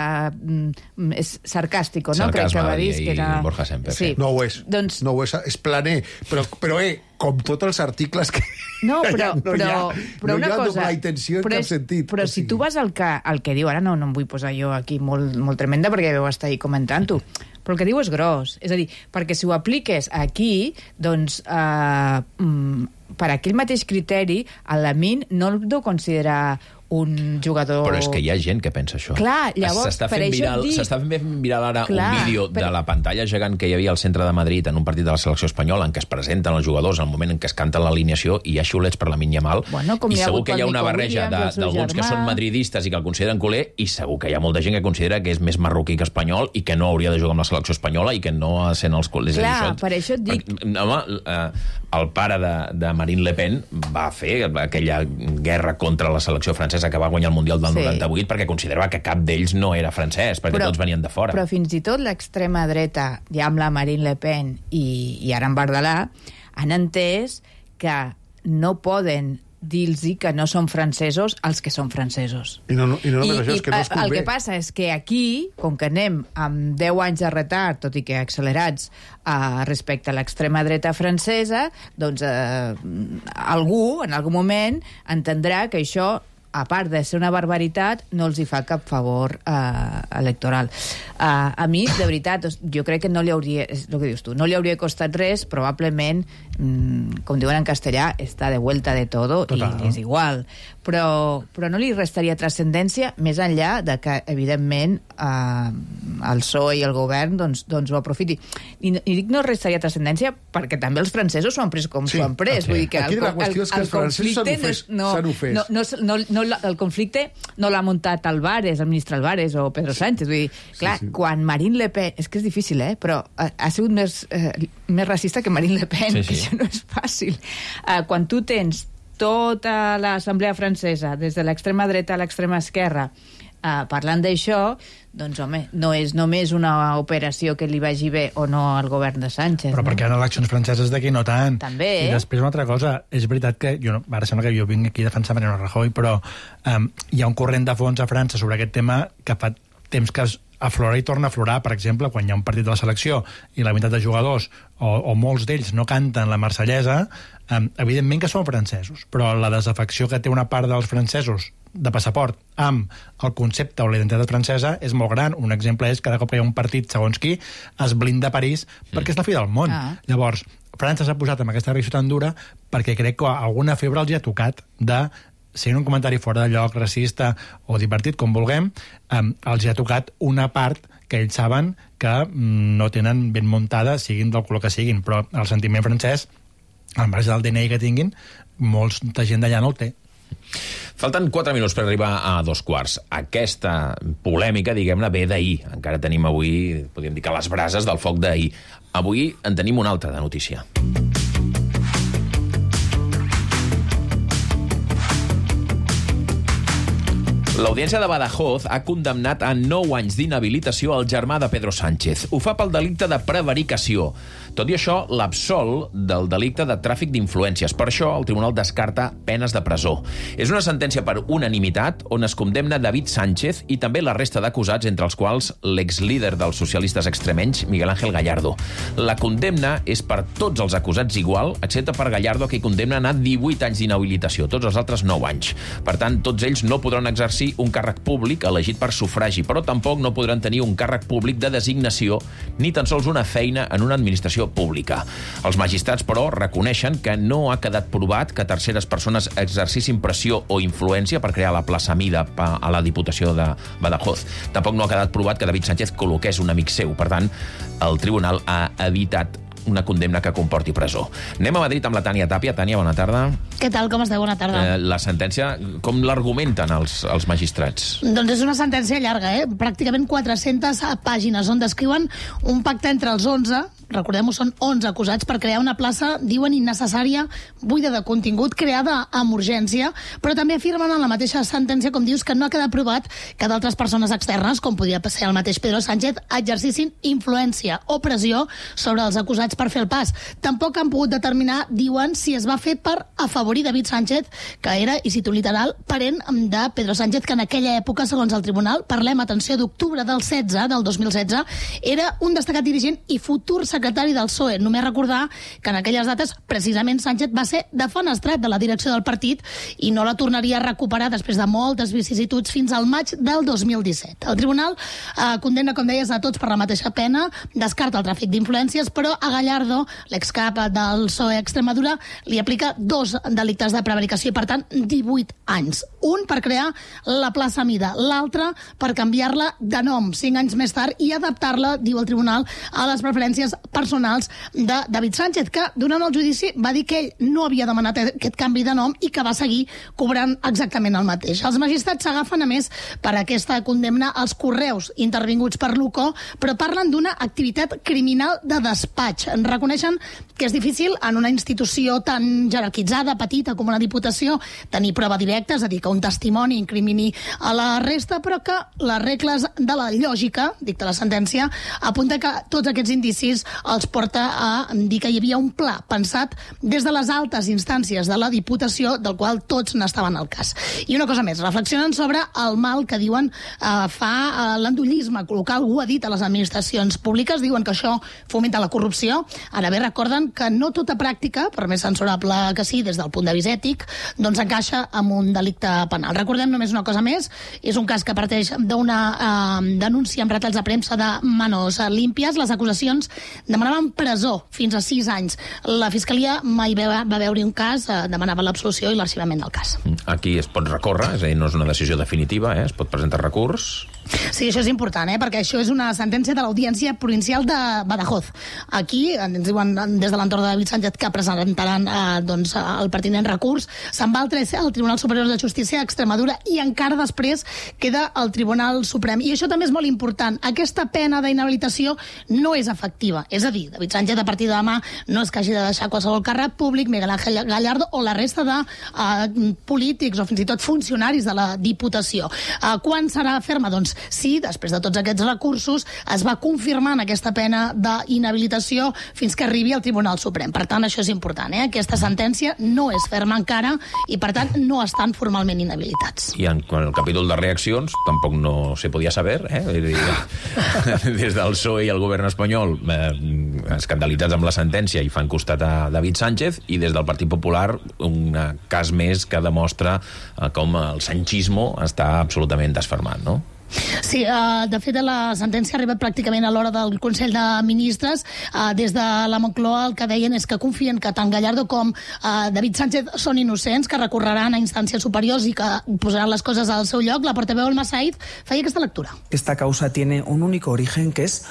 és sarcàstico, no? Crec que va dir que era... Borja Semper. Sí. No ho és. Doncs... No ho és planer. Però com tots els articles que... No, però una cosa... No hi ha intenció en cap sentit. Però si tu vas al que diu... Ara no em vull posar jo aquí molt tremenda perquè vau estar ahí comentant-ho. Però el que diu és gros. És a dir, perquè si ho apliques aquí, doncs, per aquell mateix criteri, a Lamine no el deu considerar un jugador... Però és que hi ha gent que pensa això. Clar, llavors, per això dic... S'està fent viral ara un vídeo de la pantalla gegant que hi havia al centre de Madrid en un partit de la selecció espanyola en què es presenten els jugadors al moment en què es canta l'alineació i hi ha xiulets per Lamine Yamal. I segur que hi ha una barreja d'alguns que són madridistes i que el consideren culer, i segur que hi ha molta gent que considera que és més marroquí que espanyol i que no hauria de jugar amb la selecció espanyola i que no ha de ser en els culers. Clar, per això et dic... El pare de Marine Le Pen va fer aquella guerra contra la selecció francesa que va guanyar el Mundial del 98 perquè considerava que cap d'ells no era francès, perquè tots venien de fora. Però fins i tot l'extrema dreta, ja amb la Marine Le Pen i ara en Bardalà, han entès que no poden dir-los que no són francesos els que són francesos. I no només això, és que no es convé. El que passa és que aquí, com que anem amb 10 anys de retard, tot i que accelerats respecte a l'extrema dreta francesa, doncs algú, en algun moment, entendrà que això, a part de ser una barbaritat, no els hi fa cap favor electoral. A mi, de veritat, jo crec que no li hauria, és el que dius tu, no li hauria costat res, probablement com diuen en castellà, està de vuelta de todo. Total. I és igual. Però no li restaria transcendència més enllà de que, evidentment, el PSOE i el govern doncs ho aprofiti. I dic no restaria transcendència perquè també els francesos s'ho han pres com s'ho han pres. Vull dir que aquí la qüestió és que els francesos s'han ofès. El conflicte no l'ha muntat Álvarez, el ministre Álvarez o Pedro Sánchez. Vull dir, clar, quan Marine Le Pen... És que és difícil, però ha sigut més racista que Marine Le Pen, que això no és fàcil. Quan tu tens tota l'assemblea francesa, des de l'extrema dreta a l'extrema esquerra, parlant d'això, doncs, home, no és només una operació que li vagi bé o no al govern de Sánchez. Però perquè hi ha eleccions franceses d'aquí no tant. També, I després una altra cosa, és veritat que, ara sembla que jo vinc aquí a defensar Mariano Rajoy, però hi ha un corrent de fons a França sobre aquest tema que fa temps que aflora i torna a aflorar. Per exemple, quan hi ha un partit de la selecció i la meitat de jugadors o molts d'ells no canten la marsellesa, evidentment que són francesos, però la desafecció que té una part dels francesos de passaport amb el concepte o la identitat francesa és molt gran. Un exemple és cada cop que hi ha un partit, segons qui, es blinda París perquè és la fi del món. Llavors, França s'ha posat amb aquesta reacció tan dura perquè crec que alguna febre els hi ha tocat de si un comentari fora de lloc, racista o divertit, com vulguem, els hi ha tocat una part que ells saben que no tenen ben muntada, siguin del color que siguin, però el sentiment francès, al marge del DNI que tinguin, molta gent d'allà no el té. Falten 4 minuts per arribar a 2:15. Aquesta polèmica, diguem-ne, ve d'ahir. Encara tenim avui, podríem dir que les brases del foc d'ahir. Avui en tenim una altra de notícia. L'Audiència de Badajoz ha condemnat a 9 anys d'inhabilitació al germà de Pedro Sánchez. Ho fa pel delicte de prevaricació. Tot i això, l'absol del delicte de tràfic d'influències. Per això, el tribunal descarta penes de presó. És una sentència per unanimitat on es condemna David Sánchez i també la resta d'acusats, entre els quals l'exlíder dels socialistes extremenys, Miguel Ángel Gallardo. La condemna és per tots els acusats igual, excepte per Gallardo, que condemnen a 18 anys d'inhabilitació, tots els altres 9 anys. Per tant, tots ells no podran exercir un càrrec públic elegit per sufragi, però tampoc no podran tenir un càrrec públic de designació ni tan sols una feina en una administració pública. Els magistrats, però, reconeixen que no ha quedat provat que terceres persones exercissin pressió o influència per crear la plaça Mida a la Diputació de Badajoz. Tampoc no ha quedat provat que David Sánchez col·loqués un amic seu. Per tant, el tribunal ha evitat una condemna que comporti presó. Anem a Madrid amb la Tània Tàpia. Tània, bona tarda. Què tal, com esteu? Bona tarda. La sentència, com l'argumenten els magistrats? Doncs és una sentència llarga, pràcticament 400 pàgines, on descriuen un pacte entre els 11, recordem-ho, són 11 acusats per crear una plaça, diuen, innecessària, buida de contingut, creada amb urgència, però també afirmen en la mateixa sentència, com dius, que no ha quedat provat que d'altres persones externes, com podria ser el mateix Pedro Sánchez, exercissin influència o pressió sobre els acusats per fer el pas. Tampoc han pogut determinar, diuen, si es va fer per afavorir David Sánchez, que era, i cito literal, parent de Pedro Sánchez, que en aquella època, segons el tribunal, parlem, atenció, d'octubre del 2016, era un destacat dirigent i futur secretari del PSOE. Només recordar que en aquelles dates, precisament, Sánchez va ser defenestrat de la direcció del partit i no la tornaria a recuperar després de moltes vicissituds fins al maig del 2017. El tribunal condemna, com deies, a tots per la mateixa pena, descarta el tràfic d'influències, però a Gallardo, l'excap del PSOE Extremadura, li aplica 2 delictes de prevaricació i, per tant, 18 anys. Un per crear la plaça Mida, l'altre per canviar-la de nom 5 anys més tard i adaptar-la, diu el tribunal, a les preferències personals de David Sánchez, que durant el judici va dir que ell no havia demanat aquest canvi de nom i que va seguir cobrant exactament el mateix. Els magistrats s'agafen, a més, per aquesta condemna als correus intervinguts per l'UCO, però parlen d'una activitat criminal de despatx. Reconeixen que és difícil en una institució tan jerarquitzada, petita com una diputació, tenir prova directa, és a dir, que un testimoni incrimini a la resta, però que les regles de la lògica, dicta la sentència, apunta que tots aquests indicis els porta a dir que hi havia un pla pensat des de les altes instàncies de la Diputació, del qual tots n'estaven al cas. I una cosa més, reflexionen sobre el mal que diuen fa l'endollisme, col·locar algú a dit a les administracions públiques, diuen que això fomenta la corrupció. Ara bé, recorden que no tota pràctica, per més censurable que sí des del punt de vista ètic, doncs encaixa amb un delicte penal. Recordem només una cosa més, és un cas que parteix d'una denúncia amb retalls de premsa de manos límpies. Les acusacions demanaven presó fins a 6 anys. La Fiscalia mai va veure un cas, demanava l'absolució i l'arxivament del cas. Aquí es pot recórrer, és a dir, no és una decisió definitiva, es pot presentar recurs. Sí, això és important, perquè això és una sentència de l'Audiència Provincial de Badajoz. Aquí ens diuen des de l'entorn de David Sánchez que presentaran el pertinent recurs. Se'n va al Tribunal Superior de Justícia d'Extremadura i encara després queda al Tribunal Suprem. I això també és molt important. Aquesta pena d'inhabilitació no és efectiva. És a dir, David Sánchez a partir de demà no és que hagi de deixar qualsevol càrrec públic, Miguel Ángel Gallardo o la resta de polítics o fins i tot funcionaris de la Diputació. Quan serà ferma? Doncs sí, després de tots aquests recursos es va confirmant aquesta pena d'inhabilitació fins que arribi al Tribunal Suprem. Per tant, això és important. Aquesta sentència no és ferma encara i, per tant, no estan formalment inhabilitats. I en el capítol de reaccions tampoc no se podia saber. Des del PSOE i el govern espanyol escandalitzats amb la sentència i fan costat a David Sánchez, i des del Partit Popular un cas més que demostra com el sanchismo està absolutament desfermat, no? Sí, de fet la sentència ha arribat pràcticament a l'hora del Consell de Ministres. Des de la Moncloa el que deien és que confien que tant Gallardo com David Sánchez són innocents, que recorreran a instàncies superiors i que posaran les coses al seu lloc. La portaveu Alma Said feia aquesta lectura. Esta causa tiene un único origen, que es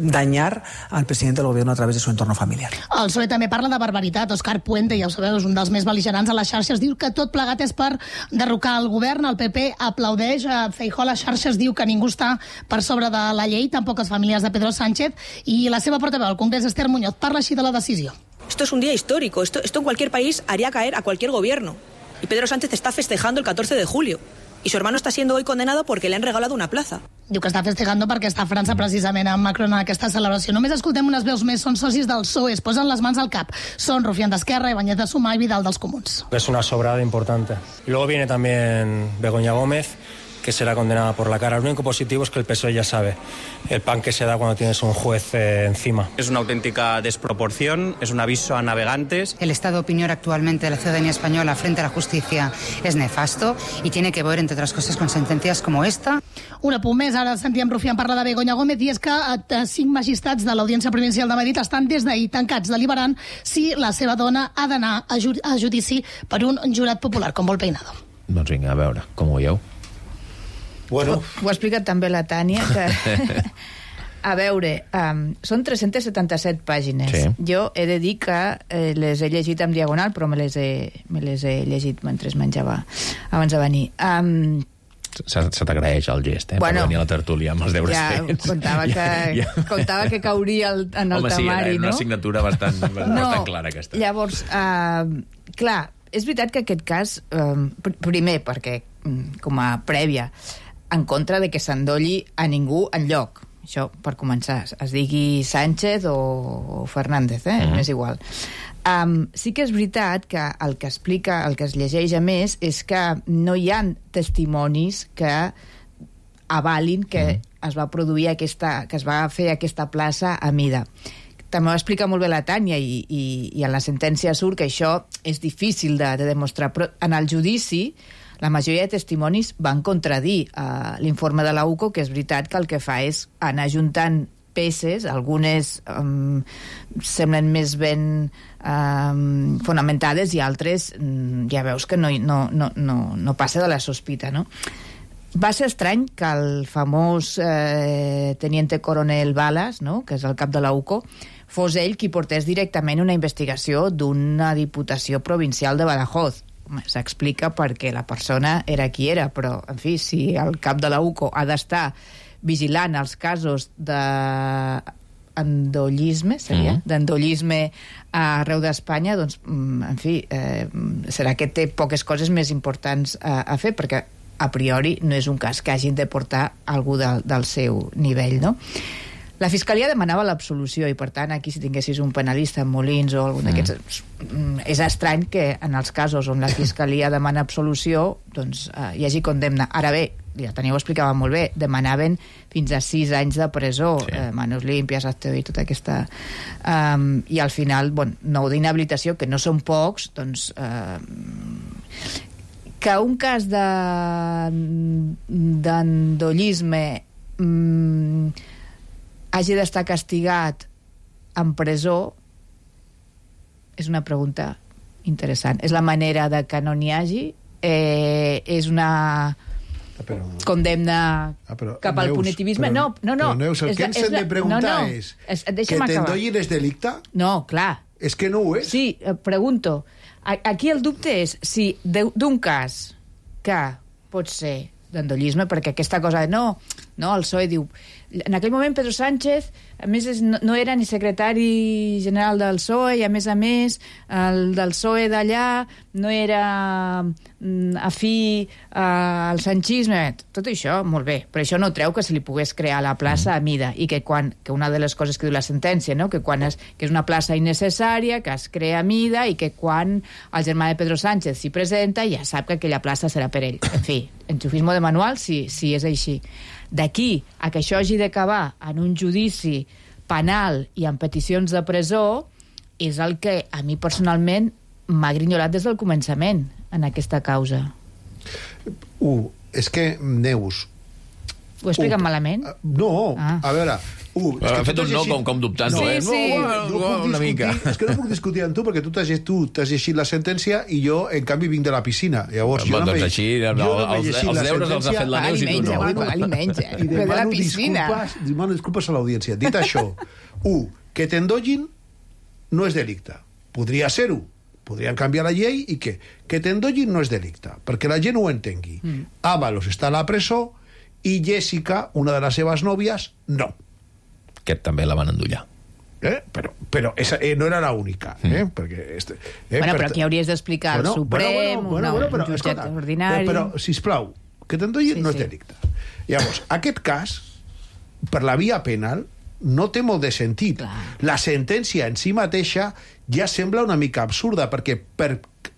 dañar al presidente del gobierno a través de su entorno familiar. El PSOE també parla de barbaritat. Òscar Puente, ja ho sabeu, és un dels més bel·ligerants a les xarxes, diu que tot plegat és per derrocar el govern. El PP aplaudeix. Feijóo a les xarxes diu que ningú està per sobre de la llei, tampoc les famílies de Pedro Sánchez, i la seva portaveu al Congrés, Esther Muñoz, parla així de la decisió. Esto es un día histórico. Esto en cualquier país haría caer a cualquier gobierno. Y Pedro Sánchez está festejando el 14 de julio. Y su hermano está siendo hoy condenado porque le han regalado una plaza. Diu que està festejando perquè està a França precisament amb Macron en aquesta celebració. Només escoltem unes veus més. Són socis del PSOE, es posen les mans al cap. Són Rufián d'Esquerra, Ibáñez de Sumar i Vidal dels Comuns. Es una sobrada importante. Y luego viene también Begoña Gómez, que será condenada por la cara. Lo único positivo es que el PSOE ya sabe el pan que se da cuando tienes un juez encima. Es una auténtica desproporción, es un aviso a navegantes. El estado de opinión actualmente de la ciudadanía española frente a la justicia es nefasto y tiene que ver, entre otras cosas, con sentencias como esta. Un apunt més, ara sentíem Rufián parlar de Begoña Gómez, i és que 5 magistrats de l'Audiència Provincial de Madrid estan des d'ahir tancats deliberant si la seva dona ha d'anar a judici per un jurat popular, com vol Peinado. Doncs vinga, a veure, com ho veieu? Bueno. Ho ha explicat també la Tània, que... A veure, són 377 pàgines. Sí. Jo he de dir que les he llegit en diagonal, però me les he llegit mentre menjava abans de venir. Se t'agraeix el gest, bueno, per venir a la tertúlia amb els deures fets. Contava que cauria en el temari, no? Home, sí, una assignatura bastant clara aquesta. Llavors, clar, és veritat que aquest cas, primer, perquè com a prèvia, en contra de que s'endolli a ningú enlloc. Això, per començar, es digui Sánchez o Fernández, és igual. Sí que és veritat que el que explica, el que es llegeix a més, és que no hi ha testimonis que avalin que es va produir que es va fer aquesta plaça a mida. També ho explica molt bé la Tània i en la sentència surt que això és difícil de demostrar, però en el judici la majoria de testimonis van contradir l'informe de la UCO, que és veritat que el que fa és anar juntant peces, algunes semblen més ben fonamentades i altres ja veus que no passa de la sospita, no? Va ser estrany que el famós teniente coronel Balas, no?, que és el cap de la UCO, fos ell qui portés directament una investigació d'una diputació provincial de Badajoz. S'explica perquè la persona era qui era, però, en fi, si el cap de la UCO ha d'estar vigilant els casos d'endollisme, d'endollisme arreu d'Espanya, doncs, en fi, serà que té poques coses més importants a fer, perquè a priori no és un cas que hagin de portar algú del seu nivell, no? La Fiscalia demanava l'absolució i, per tant, aquí si tinguessis un penalista en Molins o algun d'aquests... És estrany que en els casos on la Fiscalia demana absolució doncs hi hagi condemna. Ara bé, ja Tania ho explicava molt bé, demanaven fins a 6 anys de presó, manos limpias, acte i tota aquesta... I al final, bueno, 9 d'inhabilitació, que no són pocs, doncs... que un cas d'endollisme hagi d'estar castigat en presó és una pregunta interessant. És la manera de que no n'hi hagi? És una condemna cap al punitivisme? No. Però, Neus, el que ens hem de preguntar és que t'endollin és delicte? No, clar. És que no ho és? Sí, pregunto. Aquí el dubte és si d'un cas que pot ser d'endollisme, perquè aquesta cosa de no, el PSOE diu... En aquell moment Pedro Sánchez, a més, no era ni secretari general del PSOE, i a més, el del PSOE d'allà no era afí al sanchisme. Tot això, molt bé, però això no treu que se li pogués crear la plaça a mida, i que una de les coses que diu la sentència, no? que és una plaça innecessària, que es crea a mida, i que quan el germà de Pedro Sánchez s'hi presenta ja sap que aquella plaça serà per ell. En fi, enxufismo de manual, si és així. D'aquí a que això hagi d'acabar en un judici penal i en peticions de presó és el que a mi personalment m'ha grinyolat des del començament en aquesta causa. És que, Neus... Ho he explicat malament? No, a veure... Ha fet un no com dubtant-ho, una mica. És que no puc discutir amb tu perquè tu t'has llegit la sentència i jo, en canvi, vinc de la piscina. Llavors, doncs així, els deures els ha fet la Neus i tu no. I demano disculpes a l'audiència. Dit això, que t'endollin no és delicte. Podria ser-ho. Podrien canviar la llei i que t'endollin no és delicte, perquè la gent ho entengui. Ábalos està a la presó i Jessica, una de les seves nòvies, no. Aquest també la van endollar. Però esa no era la única. Però aquí hauries d'explicar el Suprem, un jutjat ordinari... Però, sisplau, que t'endollin no és delicte. Llavors, aquest cas, per la via penal, no té molt de sentit. La sentència en si mateixa ja sembla una mica absurda, perquè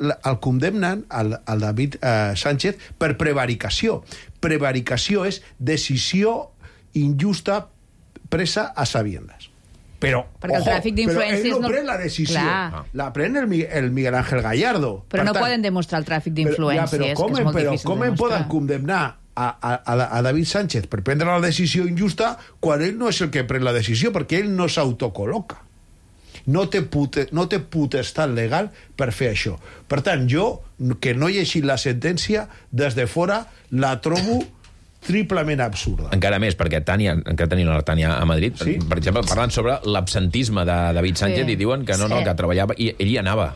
el condemnen, el David Sánchez, per prevaricació. Prevaricació és decisió injusta presa a sabiendas. Però el tràfic d'influències ell no pren la decisió. La pren el Miguel Ángel Gallardo. Però no poden demostrar el tràfic d'influències, que és molt difícil de demostrar. Com poden condemnar a David Sánchez per prendre la decisió injusta quan ell no és el que pren la decisió, perquè ell no s'autocol·loca. No té potestat legal per fer això. Per tant, jo, que no he llegit la sentència, des de fora la trobo triplement absurda. Encara més, perquè encara tenim la Tània a Madrid, per exemple, parlant sobre l'absentisme de David Sánchez, i diuen que que treballava, i ell hi anava.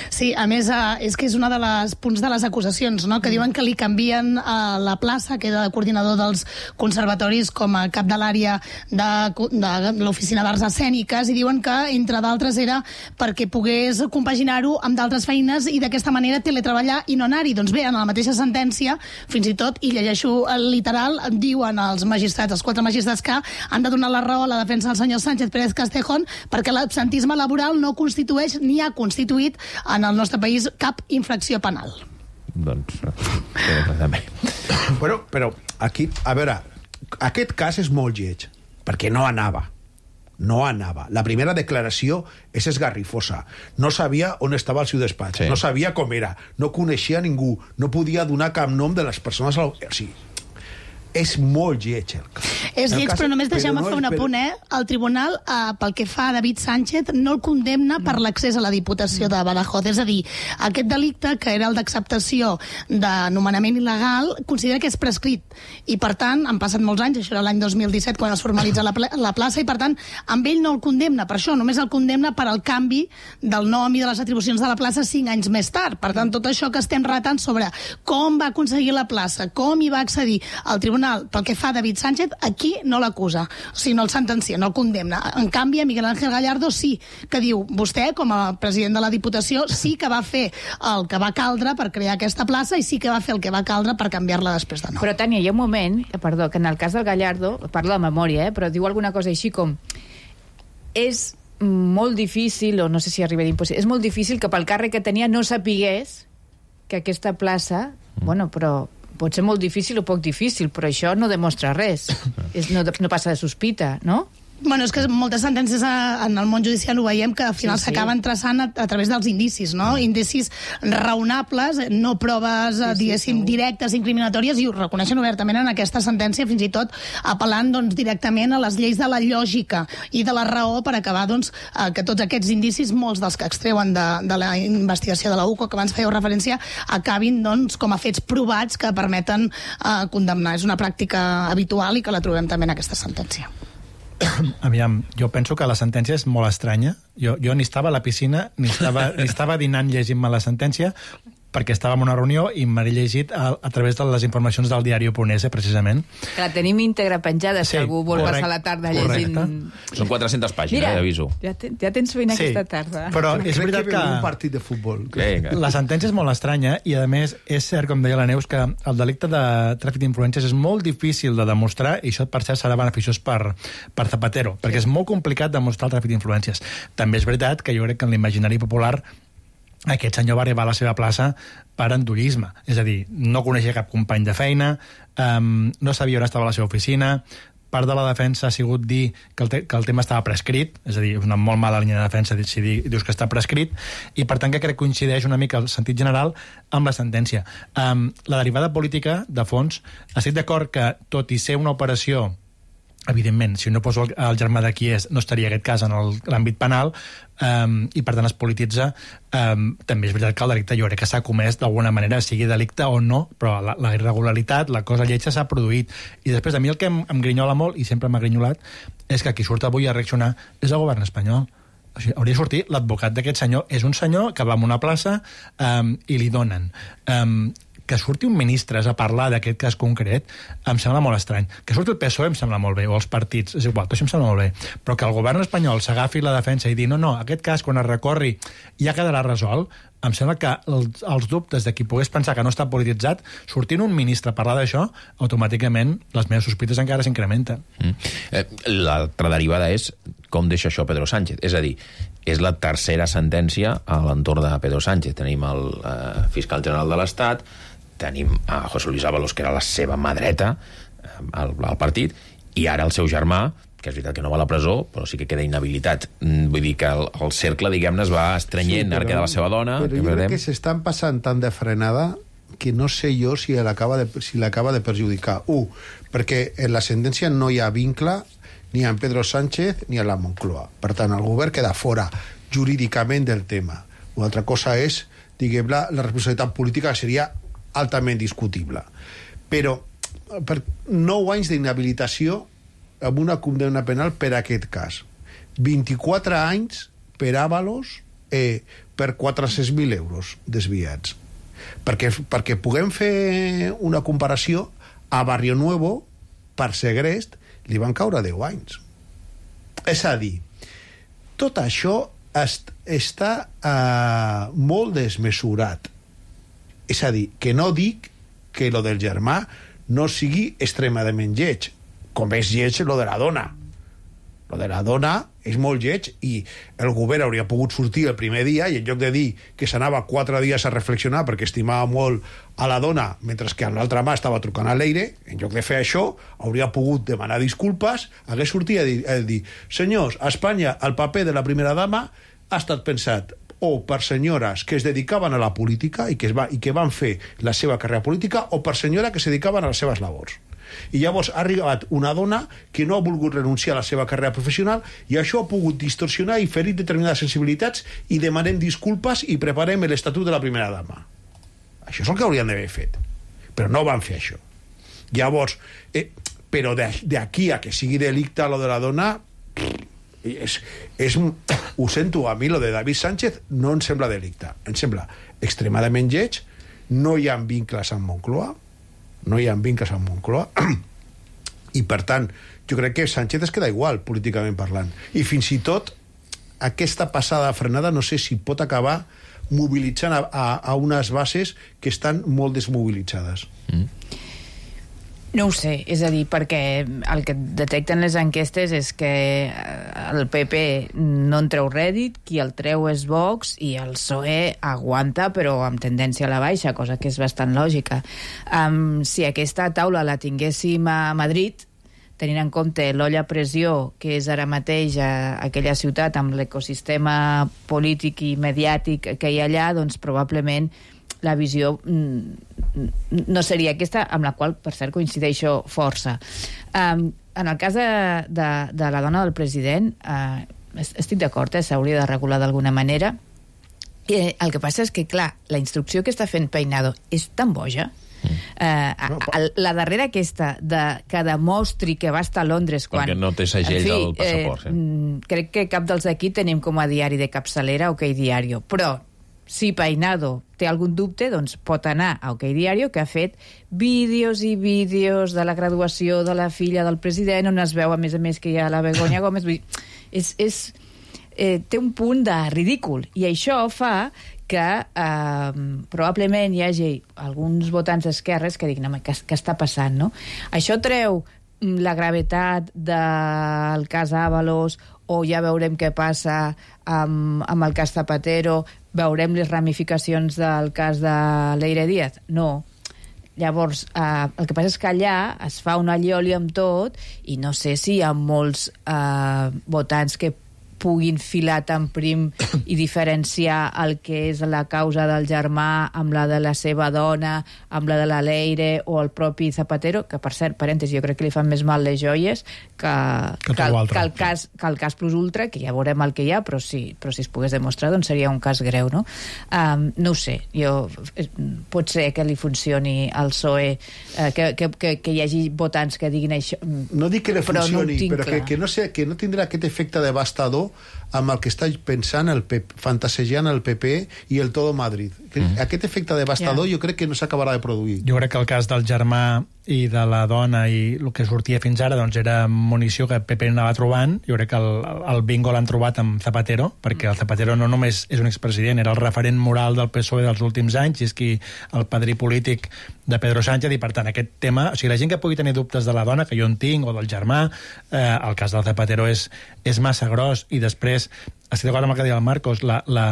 Sí, a més, és que és una de les punts de les acusacions, no? Que diuen que li canvien la plaça, que era de coordinador dels conservatoris, com a cap de l'àrea de l'Oficina d'Arts Escèniques, i diuen que, entre d'altres, era perquè pogués compaginar-ho amb d'altres feines i d'aquesta manera teletreballar i no anar-hi. Doncs bé, en la mateixa sentència, fins i tot, i llegeixo el literal, diuen els magistrats, els 4 magistrats, que han de donar la raó a la defensa del senyor Sánchez Pérez Castejón perquè l'absentisme laboral no constitueix ni ha constituït en el nostre país cap infracció penal. Doncs, també. Però aquí, a veure, aquest cas és molt lleig, perquè no anava. La primera declaració és esgarrifosa. No sabia on estava el seu despatx, no sabia com era, no coneixia ningú, no podia donar cap nom de les persones... Sí, és molt lleig el cas. És lleig, però només deixeu-me fer un apunt, El tribunal, pel que fa a David Sánchez, no el condemna per l'accés a la Diputació de Badajoz. És a dir, aquest delicte, que era el d'acceptació de nomenament il·legal, considera que és prescrit. I, per tant, han passat molts anys, això era l'any 2017, quan es formalitza la plaça, i, per tant, amb ell no el condemna. Per això, només el condemna per al canvi del nom i de les atribucions de la plaça 5 anys més tard. Per tant, tot això que estem relatant sobre com va aconseguir la plaça, com hi va accedir el tribunal, pel que fa a David Sánchez, aquí no l'acusa, o sigui, no el sentencia, no el condemna. En canvi, a Miguel Ángel Gallardo sí, que diu, vostè, com a president de la Diputació, sí que va fer el que va caldre per crear aquesta plaça i sí que va fer el que va caldre per canviar-la després de nou. Però, Tània, hi ha un moment, perdó, que en el cas del Gallardo, parlo de memòria, però diu alguna cosa així com és molt difícil, o no sé si arriba d'impossible, és molt difícil que pel càrrec que tenia no sapigués que aquesta plaça, bueno, però pot ser molt difícil o poc difícil, però això no demostra res. No passa de sospita, no? Bueno, és que moltes sentències en el món judicial ho veiem que al final s'acaben traçant a través dels indicis, no? Indicis raonables, no proves, diguéssim, directes, incriminatòries, i ho reconeixen obertament en aquesta sentència, fins i tot apel·lant directament a les lleis de la lògica i de la raó per acabar que tots aquests indicis, molts dels que extreuen de la investigació de la UCO, que abans fèieu referència, acabin com a fets provats que permeten condemnar. És una pràctica habitual i que la trobem també en aquesta sentència. Aviam, jo penso que la sentència és molt estranya. Jo ni estava a la piscina, ni estava dinant llegint-me la sentència, perquè estava en una reunió i m'he llegit a través de les informacions del diari.es, precisament. Que la tenim íntegra penjada, si algú vol passar la tarda llegint... Són 400 pàgines, aviso. Ja tens feina aquesta tarda. Però és veritat que... un partit de futbol. La sentència és molt estranya i, a més, és cert, com deia la Neus, que el delicte de tràfic d'influències és molt difícil de demostrar i això, per cert, serà beneficiós per Zapatero, perquè és molt complicat demostrar el tràfic d'influències. També és veritat que jo crec que en l'imaginari popular aquest senyor va arribar a la seva plaça per endollisme. És a dir, no coneixia cap company de feina, no sabia on estava la seva oficina, part de la defensa ha sigut dir que el tema estava prescrit, és a dir, és una molt mala línia de defensa si dius que està prescrit, i per tant que crec que coincideix una mica el sentit general amb la sentència. La derivada política, de fons, estic d'acord que, tot i ser una operació, evidentment, si no poso el germà de qui és, no estaria aquest cas en l'àmbit penal, i per tant es polititza. També és veritat que el delicte jo crec que s'ha comès d'alguna manera, sigui delicte o no, però la irregularitat, la cosa lletja s'ha produït. I després, a mi el que em grinyola molt, i sempre m'ha grinyolat, és que qui surt avui a reaccionar és el govern espanyol. O sigui, hauria de sortir l'advocat d'aquest senyor. És un senyor que va a una plaça i li donen... que surti un ministre a parlar d'aquest cas concret em sembla molt estrany. Que surti el PSOE em sembla molt bé, o els partits, és igual, tot això em sembla molt bé. Però que el govern espanyol s'agafi la defensa i dir no, aquest cas, quan es recorri, ja quedarà resolt, em sembla que els dubtes de qui pogués pensar que no està polititzat, sortint un ministre a parlar d'això, automàticament les meves sospites encara s'incrementen. L'altra derivada és com deixa això Pedro Sánchez. És a dir, és la tercera sentència a l'entorn de Pedro Sánchez. Tenim el fiscal general de l'Estat, tenim a José Luis Ábalos, que era la seva mà dreta al partit, i ara el seu germà, que és veritat que no va a la presó, però sí que queda inhabilitat. Vull dir que el cercle, diguem-ne, es va estrenyent, ara queda la seva dona... Però jo crec que s'estan passant tant de frenada que no sé jo si l'acaba de perjudicar. Perquè en la sentència no hi ha vincle ni amb Pedro Sánchez ni a la Moncloa. Per tant, el govern queda fora jurídicament del tema. Una altra cosa és, diguem-ne, la responsabilitat política seria altament discutible. Però per 9 anys d'inhabilitació amb una condemna penal per aquest cas. 24 anys per Ábalos per 400.000 euros desviats. Perquè puguem fer una comparació, a Barrio Nuevo, per segrest, li van caure 10 anys. És a dir, tot això està molt desmesurat. És a dir, que no dic que lo del germà no sigui extremadament lleig, com és lleig lo de la dona. Lo de la dona és molt lleig i el govern hauria pogut sortir el primer dia i en lloc de dir que s'anava 4 dies a reflexionar perquè estimava molt a la dona mentre que amb l'altra mà estava trucant a l'aire, en lloc de fer això hauria pogut demanar disculpes, hagués sortit a dir senyors, a Espanya el paper de la primera dama ha estat pensat o per senyores que es dedicaven a la política i que van fer la seva carrera política o per senyores que se dedicaven a les seves labors. I llavors ha arribat una dona que no ha volgut renunciar a la seva carrera professional i això ha pogut distorsionar i ferir determinades sensibilitats i demanem disculpes i preparem l'estatut de la primera dama. Això és el que haurien d'haver fet. Però no van fer això. Llavors, però d'aquí a que sigui delicte lo de la dona... ho sento, a mi lo de David Sánchez no em sembla delicte, em sembla extremadament lleig, no hi ha vincles amb Moncloa i per tant jo crec que Sánchez es queda igual políticament parlant, i fins i tot aquesta passada frenada no sé si pot acabar mobilitzant a unes bases que estan molt desmobilitzades. No ho sé, és a dir, perquè el que detecten les enquestes és que el PP no en treu rèdit, qui el treu és Vox i el PSOE aguanta però amb tendència a la baixa, cosa que és bastant lògica. Si aquesta taula la tinguéssim a Madrid, tenint en compte l'olla a pressió que és ara mateix a aquella ciutat amb l'ecosistema polític i mediàtic que hi ha allà, doncs probablement la visió no seria aquesta, amb la qual, per cert, coincideixo força. En el cas de la dona del president, estic d'acord, s'hauria de regular d'alguna manera. El que passa és que, clar, la instrucció que està fent Peinado és tan boja. La darrera aquesta que demostri que va estar a Londres quan... Perquè no té segell del passaport. Crec que cap dels aquí tenim com a diari de capçalera OK Diario, però si Peinado té algun dubte, doncs pot anar a OK Diario, que ha fet vídeos i vídeos de la graduació de la filla del president, on es veu, a més que hi ha la Begoña Gómez. Té un punt de ridícul, i això fa que probablement hi hagi alguns votants d'esquerres que diguin, què està passant, no? Això treu la gravetat del cas Ábalos, o ja veurem què passa amb el cas Zapatero, veurem les ramificacions del cas de Leire Díaz? No. Llavors, el que passa és que allà es fa una allioli amb tot, i no sé si hi ha molts votants que puguin filar tan prim i diferenciar el que és la causa del germà amb la de la seva dona, amb la de la Leire o el propi Zapatero, que, per cert, parèntesi, jo crec que li fan més mal les joies que el cas plus ultra, que ja veurem el que hi ha, però si es pogués demostrar, doncs seria un cas greu, no? No ho sé, pot ser que li funcioni al PSOE, que hi hagi votants que diguin això. No dic que li funcioni, però que no tindrà aquest efecte devastador amb el que està pensant fantasejant el PP i el Todo Madrid. Aquest efecte devastador jo crec que no s'acabarà de produir. Jo crec que el cas del germà i de la dona i el que sortia fins ara doncs era munició que el PP anava trobant. Jo crec que el bingo l'han trobat amb Zapatero, perquè el Zapatero no només és un expresident, era el referent moral del PSOE dels últims anys, i és qui el padrí polític de Pedro Sánchez, i per tant aquest tema, o sigui, la gent que pugui tenir dubtes de la dona, que jo en tinc, o del germà, el cas del Zapatero és massa gros. I després, estic d'acord amb el que deia el Marcos, la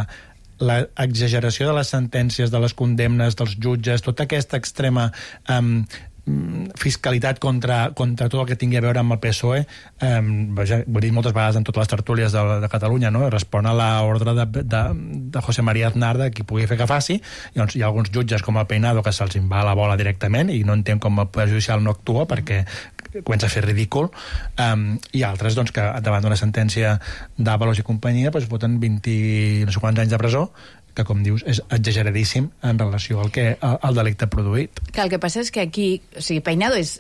exageració de les sentències, de les condemnes, dels jutges, tota aquesta extrema fiscalitat contra tot el que tingui a veure amb el PSOE, ho he dit moltes vegades en totes les tertúlies de Catalunya, no? Respon a l'ordre de José María Aznar, de qui pugui fer que faci. Llavors, hi ha alguns jutges com el Peinado que se'ls en va a la bola directament, i no entenc com el Poder Judicial no actua, perquè comença a fer ridícul, i altres doncs, que davant d'una sentència d'Ábalos i companyia doncs, voten 20 no sé quants anys de presó, que, com dius, és exageradíssim en relació al delicte produït. Que el que passa és que aquí, o sigui, Peinado és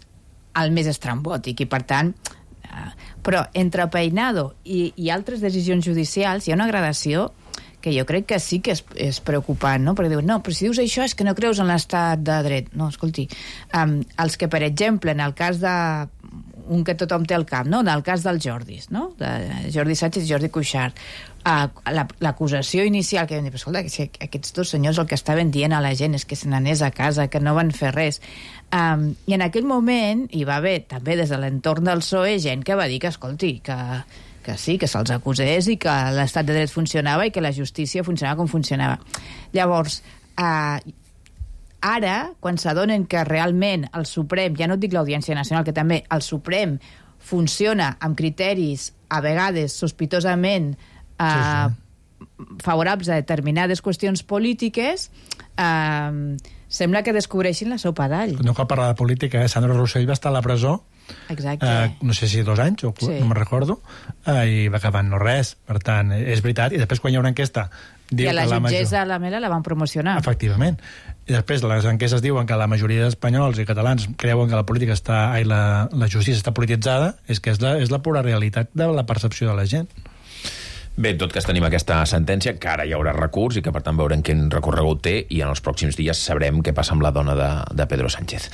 el més estrambòtic, i per tant, però entre Peinado i altres decisions judicials hi ha una gradació que jo crec que sí que és preocupant, no? Perquè diuen, no, però si dius això és que no creus en l'estat de dret. No, escolti, els que, per exemple, en el cas de un que tothom té al cap, no? En el cas dels Jordis, no? De Jordi Sánchez i Jordi Cuixart, l'acusació inicial que vam dir, però escolta, que aquests dos senyors el que estaven dient a la gent és que se n'anés a casa, que no van fer res, i en aquell moment hi va haver també des de l'entorn del PSOE gent que va dir que, escolti, que sí, que se'ls acusés i que l'estat de dret funcionava i que la justícia funcionava com funcionava. Llavors, ara, quan s'adonen que realment el Suprem, ja no et dic l'Audiència Nacional, que també el Suprem funciona amb criteris a vegades sospitosament favorables a determinades qüestions polítiques, sembla que descobreixin la sopa d'all. No cal parlar de política, Sandro Rossell va estar a la presó, exacte, no sé si 2 anys, o no me'n recordo, i va acabar no res. Per tant, és veritat, i després quan hi ha una enquesta i a la jutgessa Lamela la van promocionar. Efectivament. I després les enquestes diuen que la majoria d'espanyols i catalans creuen que la política la justícia està polititzada, és que és la pura realitat de la percepció de la gent. Bé, en tot cas tenim aquesta sentència, que ara hi haurà recurs i que per tant veurem quin recorregut té, i en els pròxims dies sabrem què passa amb la dona de Pedro Sánchez.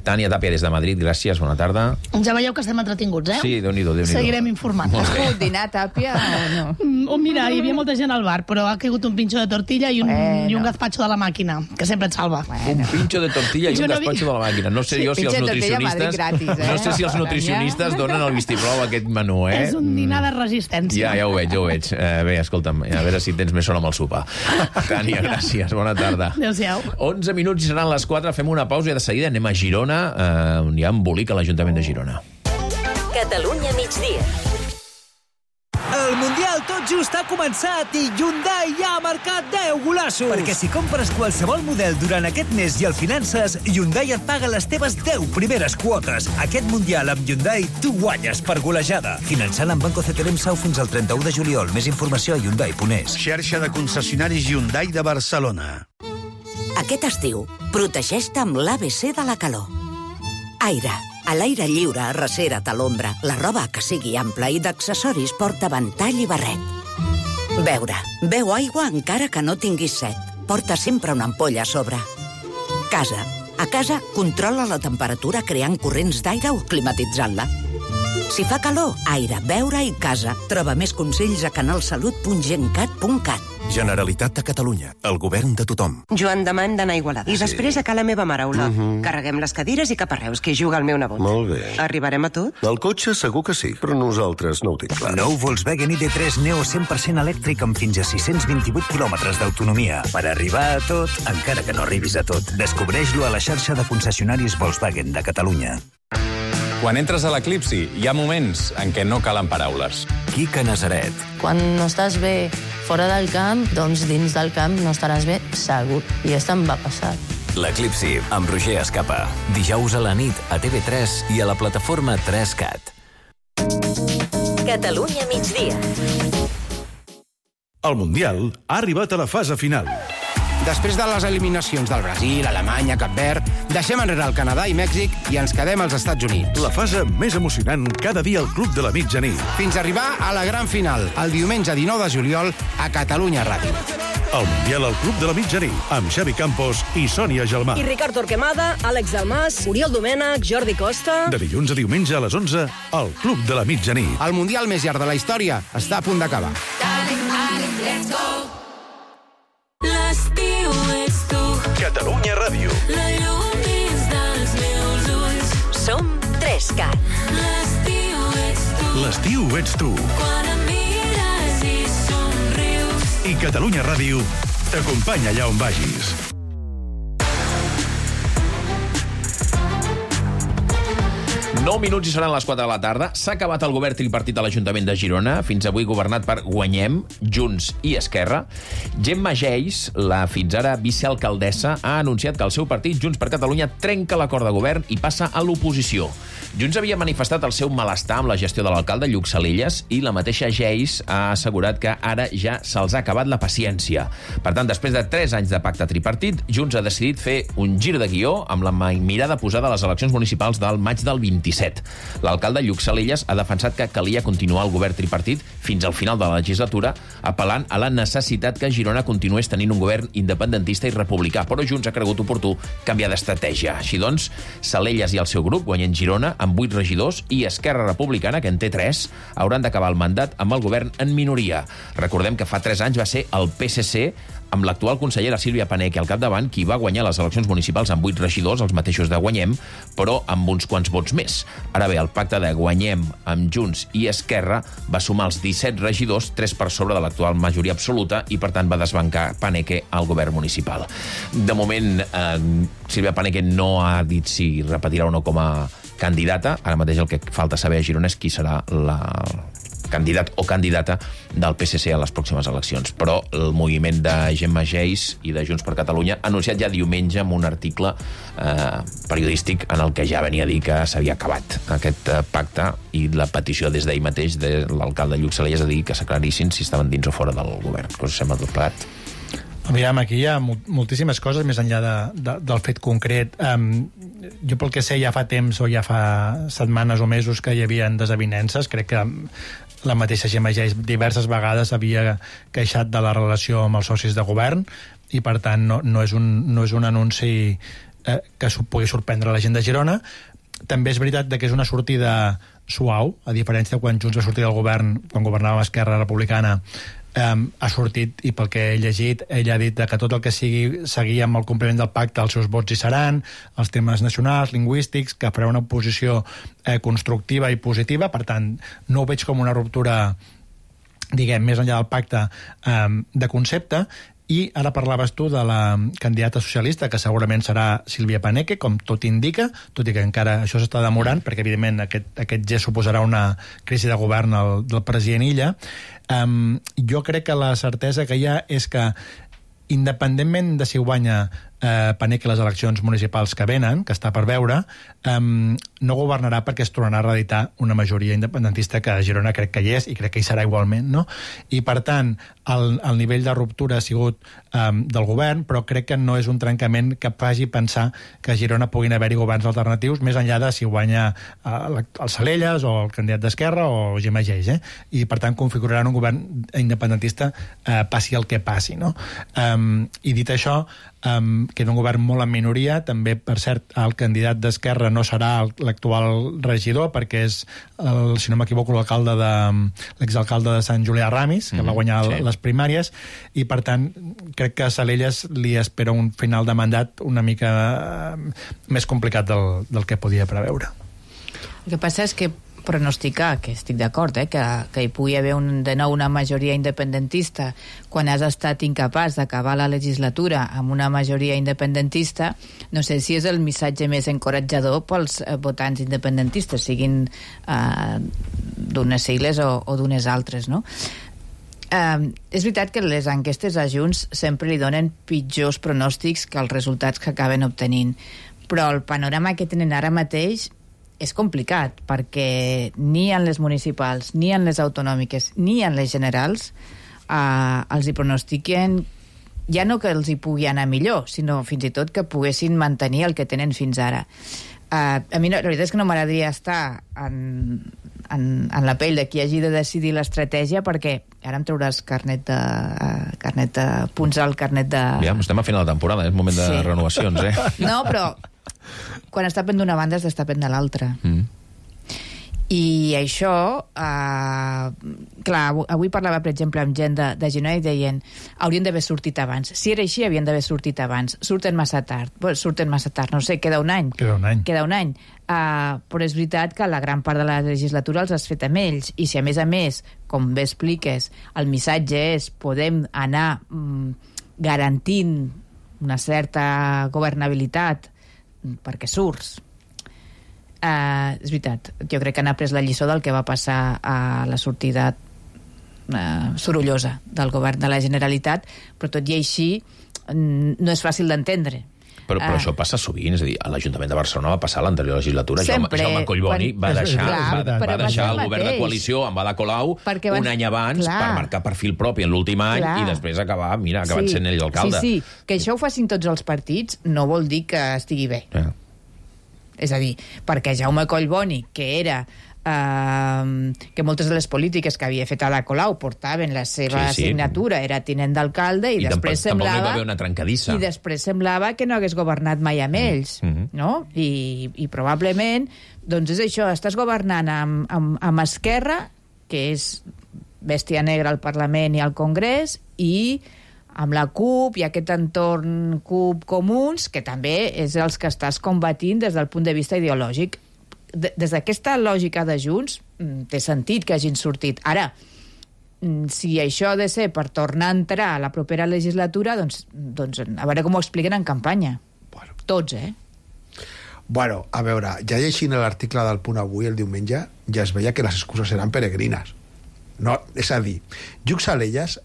Tània Tàpia des de Madrid, gràcies, bona tarda. Ja veieu que estem entretinguts, Sí, Déu-n'hi-do. Seguirem informant. Has pogut dinar, Tàpia, o no? Mira, hi havia molta gent al bar, però ha caigut un pincho de tortilla i un gazpacho de la màquina, que sempre et salva. Un pincho de tortilla i un gazpacho de la màquina. No sé jo si els nutricionistes... No sé si els nutricionistes donen el vistiplau a aquest menú, És un dinar de resistència. Ja ho veig. Bé, escolta'm, a veure si tens més son amb el sopar. Tània, gràcies, bona tarda. Adéu-siau. 11 minuts i seran les 4, fem una pausa i de seguida anem a Girona, on hi ha embolic a l'Ajuntament de Girona. Catalunya migdia. El Mundial tot just ha començat i Hyundai ja ha marcat 10 golassos. Perquè si compres qualsevol model durant aquest mes i el finances, Hyundai et paga les teves 10 primeres quotes. Aquest Mundial amb Hyundai tu guanyes per golejada. Finançant amb Banco CTLM Sau fins al 31 de juliol. Més informació a Hyundai.es. Xarxa de concessionaris Hyundai de Barcelona. Aquest estiu, protegeix-te amb l'ABC de la calor. Aire. A l'aire lliure, arrecera't a l'ombra. La roba que sigui ampla i d'accessoris porta ventall i barret. Beure. Beu aigua encara que no tinguis set. Porta sempre una ampolla a sobre. Casa. A casa, controla la temperatura creant corrents d'aire o climatitzant-la. Si fa calor, aire, beure i casa. Troba més consells a canalsalut.gencat.cat. Generalitat de Catalunya. El govern de tothom. Joan demà hem d'anar a Igualada. I després a la meva mare, Olot. Carreguem les cadires i cap a Reus, que hi juga el meu nebot. Molt bé. Arribarem a tot? El cotxe segur que sí, però nosaltres no ho tinc clar. Nou Volkswagen ID3 Neo 100% elèctric amb fins a 628 quilòmetres d'autonomia. Per arribar a tot, encara que no arribis a tot. Descobreix-lo a la xarxa de concessionaris Volkswagen de Catalunya. Quan entres a l'Eclipsi, hi ha moments en què no calen paraules. Quica Nazaret. Quan no estàs bé fora del camp, doncs dins del camp no estaràs bé segur. I això em va passar. L'Eclipsi, amb Roger Escapa. Dijous a la nit a TV3 i a la plataforma 3CAT. Catalunya migdia. El Mundial ha arribat a la fase final. Després de les eliminacions del Brasil, Alemanya, Cap Verd, deixem enrere el Canadà i Mèxic i ens quedem als Estats Units. La fase més emocionant cada dia al Club de la Mitjanit. Fins a arribar a la gran final, el diumenge 19 de juliol a Catalunya Ràdio. El Mundial al Club de la Mitjanit, amb Xavi Campos i Sònia Gelmà. I Ricard Torquemada, Àlex Dalmas, Oriol Domènech, Jordi Costa... De dilluns a diumenge a les 11, al Club de la Mitjanit. El Mundial més llarg de la història està a punt d'acabar. Let's go. L'estiu ets tu. Catalunya Ràdio. La llum dins dels meus ulls. Som 3CAT. L'estiu ets tu. L'estiu ets tu. Quan em mires i somrius. I Catalunya Ràdio t'acompanya allà on vagis. Nou minuts i seran les 4 de la tarda. S'ha acabat el govern tripartit a l'Ajuntament de Girona, fins avui governat per Guanyem, Junts i Esquerra. Gemma Geis, la fins ara vicealcaldessa, ha anunciat que el seu partit, Junts per Catalunya, trenca l'acord de govern i passa a l'oposició. Junts havia manifestat el seu malestar amb la gestió de l'alcalde Lluc Salillas i la mateixa Geis ha assegurat que ara ja se'ls ha acabat la paciència. Per tant, després de 3 anys de pacte tripartit, Junts ha decidit fer un gir de guió amb la mirada posada a les eleccions municipals del maig del 27. L'alcalde Lluc Salillas ha defensat que calia continuar el govern tripartit fins al final de la legislatura, apel·lant a la necessitat que Girona continués tenint un govern independentista i republicà, però Junts ha cregut oportú canviar d'estratègia. Així doncs, Salillas i el seu grup, Guanyem Girona, amb 8 regidors, i Esquerra Republicana, que en té 3, hauran d'acabar el mandat amb el govern en minoria. Recordem que fa 3 anys va ser el PSC, amb l'actual consellera Sílvia Paneque al capdavant, qui va guanyar les eleccions municipals amb 8 regidors, els mateixos de Guanyem, però amb uns quants vots més. Ara bé, el pacte de Guanyem amb Junts i Esquerra va sumar els 17 regidors, 3 per sobre de l'actual majoria absoluta, i per tant va desbancar Paneque al govern municipal. De moment, Sílvia Paneque no ha dit si repetirà o no com a candidata. Ara mateix el que falta saber a Girona és qui serà la candidat o candidata del PSC a les pròximes eleccions. Però el moviment de Gemma Geis i de Junts per Catalunya ha anunciat ja diumenge amb un article periodístic en el que ja venia a dir que s'havia acabat aquest pacte, i la petició des d'ahir mateix de l'alcalde Lluc Salillas a dir que s'aclarissin si estaven dins o fora del govern. Què us sembla tot plegat? Aviam, aquí hi ha moltíssimes coses més enllà del fet concret. Jo pel que sé ja fa temps o ja fa setmanes o mesos que hi havia desavinences. Crec que la mateixa Gemma Geis diverses vegades havia queixat de la relació amb els socis de govern i per tant no és un anunci que pugui sorprendre la gent de Girona. També és veritat que és una sortida suau, a diferència de quan Junts va sortir del govern, quan governava Esquerra Republicana. Ha sortit, i pel que he llegit, ella ha dit que tot el que sigui seguir amb el compliment del pacte, els seus vots hi seran, els temes nacionals, lingüístics, que farà una posició constructiva i positiva. Per tant, no ho veig com una ruptura, diguem, més enllà del pacte, de concepte. I ara parlaves tu de la candidata socialista, que segurament serà Sílvia Paneque, com tot indica, tot i que encara això s'està demorant, perquè evidentment aquest gest suposarà una crisi de govern del president Illa. Jo crec que la certesa que hi ha és que, independentment de si guanya Paneque les eleccions municipals que venen, que està per veure, no governarà perquè es tornarà a reeditar una majoria independentista que a Girona crec que hi és i crec que hi serà igualment, no? I per tant, el nivell de ruptura ha sigut del govern, però crec que no és un trencament que faci pensar que a Girona puguin haver-hi governs alternatius, més enllà de si guanya el Salelles o el candidat d'Esquerra o Gemma Geis, i per tant configuraran un govern independentista passi el que passi, no? I dit això, que és un govern molt en minoria. També, per cert, el candidat d'Esquerra no serà l'actual regidor, perquè és, si no m'equivoco, l'exalcalde de Sant Julià Ramis, que va guanyar les primàries, i per tant crec que a Salelles li espera un final de mandat una mica més complicat del que podia preveure. El que passa és que pronosticar, que estic d'acord, que hi pugui haver de nou una majoria independentista quan has estat incapaç d'acabar la legislatura amb una majoria independentista, no sé si és el missatge més encoratjador pels votants independentistes, siguin d'unes sigles o d'unes altres, no? És veritat que les enquestes a Junts sempre li donen pitjors pronòstics que els resultats que acaben obtenint, però el panorama que tenen ara mateix és complicat, perquè ni en les municipals, ni en les autonòmiques, ni en les generals els hi pronostiquen ja no que els hi pugui anar millor, sinó fins i tot que poguessin mantenir el que tenen fins ara. A mi la veritat és que no m'agradaria estar en la pell de qui hagi de decidir l'estratègia, perquè ara em trauràs carnet de punts al carnet de... Ja, estem a final de temporada, és moment de renovacions, No, però quan es tapen d'una banda es destapen de l'altra. I això, clar, avui parlava, per exemple, amb gent de Girona i deien haurien d'haver sortit abans. Si era així, havien d'haver sortit abans. Surten massa tard, no sé, queda un any. Queda un any. Però és veritat que la gran part de la legislatura els has fet amb ells, i si a més, com bé expliques, el missatge és podem anar garantint una certa governabilitat perquè surts. És veritat, jo crec que han après la lliçó del que va passar a la sortida sorollosa del govern de la Generalitat, però tot i així no és fàcil d'entendre. Però això passa sovint, és a dir, a l'Ajuntament de Barcelona va passar l'anterior legislatura. Sempre. Jaume Collboni va deixar el govern de coalició amb Ada Colau un any abans per marcar perfil propi en l'últim any i després acabar sent ell l'alcalde. Sí, que això ho facin tots els partits no vol dir que estigui bé. És a dir, perquè Jaume Collboni, que era que moltes de les polítiques que havia fet Ada Colau portaven la seva signatura, era tinent d'alcalde, i després semblava... Tampoc hi va haver una trencadissa. I després semblava que no hagués governat mai amb ells, no? I probablement, doncs és això, estàs governant amb Esquerra, que és bèstia negra al Parlament i al Congrés, i amb la CUP i aquest entorn CUP Comuns, que també és els que estàs combatint des del punt de vista ideològic. Des d'aquesta lògica de Junts té sentit que hagin sortit. Ara, si això ha de ser per tornar a entrar a la propera legislatura, doncs a veure com ho expliquen en campanya. Tots, Bueno, a veure, ja llegint l'article del Punt Avui el diumenge, ja es veia que les excuses eren peregrines. No, és a dir, Lluc Salelles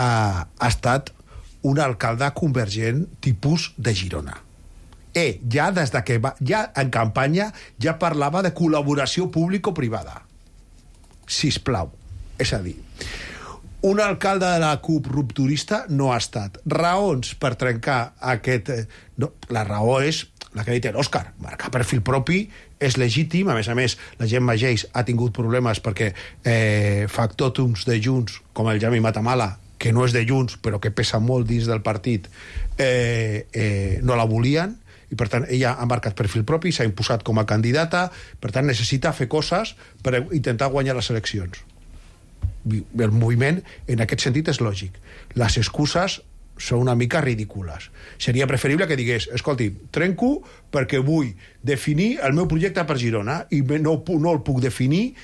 ha estat un alcalde convergent tipus de Girona. Ja des de que ja en campanya ja parlava de col·laboració público-privada. Sisplau. És a dir, un alcalde de la CUP rupturista no ha estat. Raons per trencar aquest... No, la raó és la que ha dit l'Òscar. Marcar perfil propi és legítim. A més, la Gemma Geis ha tingut problemes perquè factòtums de Junts, com el Jaume Matamala, que no és de Junts, però que pesa molt dins del partit, no la volien, i per tant ella ha marcat perfil propi, s'ha imposat com a candidata, per tant necessita fer coses per intentar guanyar les eleccions. El moviment en aquest sentit és lògic. Les excuses són una mica ridícules. Seria preferible que digués, escolti, trenco perquè vull definir el meu projecte per Girona i no el puc definir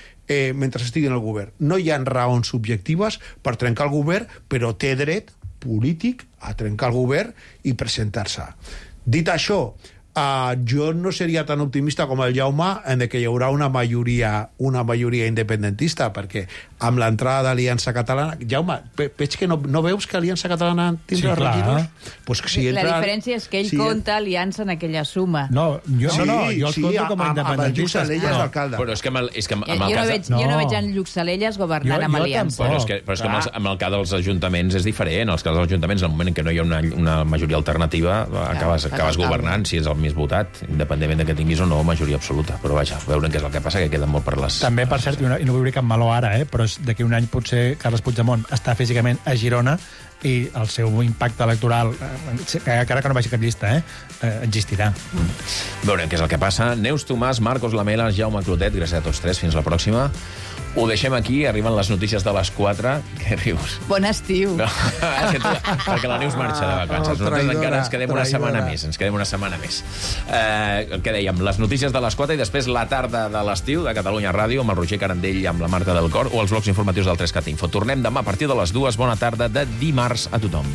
mentre estigui en el govern. No hi ha raons subjectives per trencar el govern, però té dret polític a trencar el govern i presentar-se. Dit això, jo no seria tan optimista com el Jaume en que hi haurà una majoria independentista, perquè amb l'entrada d'Aliança Catalana... Jaume, veig que no veus que Aliança Catalana tindrà regidors? Pues que si entra... La diferència és que ell compta Aliança en aquella suma. No, jo els compto com a independentistes. Però és que amb el cas... Jo no veig en Lluc Salelles governant amb Aliança. Però és que amb el cas dels ajuntaments és diferent. Els cas dels ajuntaments, en el moment en què no hi ha una majoria alternativa, acabes governant, si és el més votat, independentment de que tinguis o no majoria absoluta. Però vaja, veurem què és el que passa, que queden molt per les... També, per cert, i no vull dir cap meló ara, però d'aquí un any potser Carles Puigdemont està físicament a Girona i el seu impacte electoral, encara que no vagi cap llista, existirà. Veurem què és el que passa. Neus Tomàs, Marcos Lamela, Jaume Clotet, gràcies a tots tres. Fins la pròxima. Ho deixem aquí, arriben les notícies de les 4. Què rius? Bon estiu. No, perquè la Neus marxa de vacances. Nosaltres encara ens quedem una setmana més. Què dèiem? Les notícies de les 4 i després la tarda de l'estiu de Catalunya Ràdio amb el Roger Carandell i amb la Marta del Cor o els blocs informatius del 3CAT Info. Tornem demà a partir de les 2. Bona tarda de dimarts a tothom.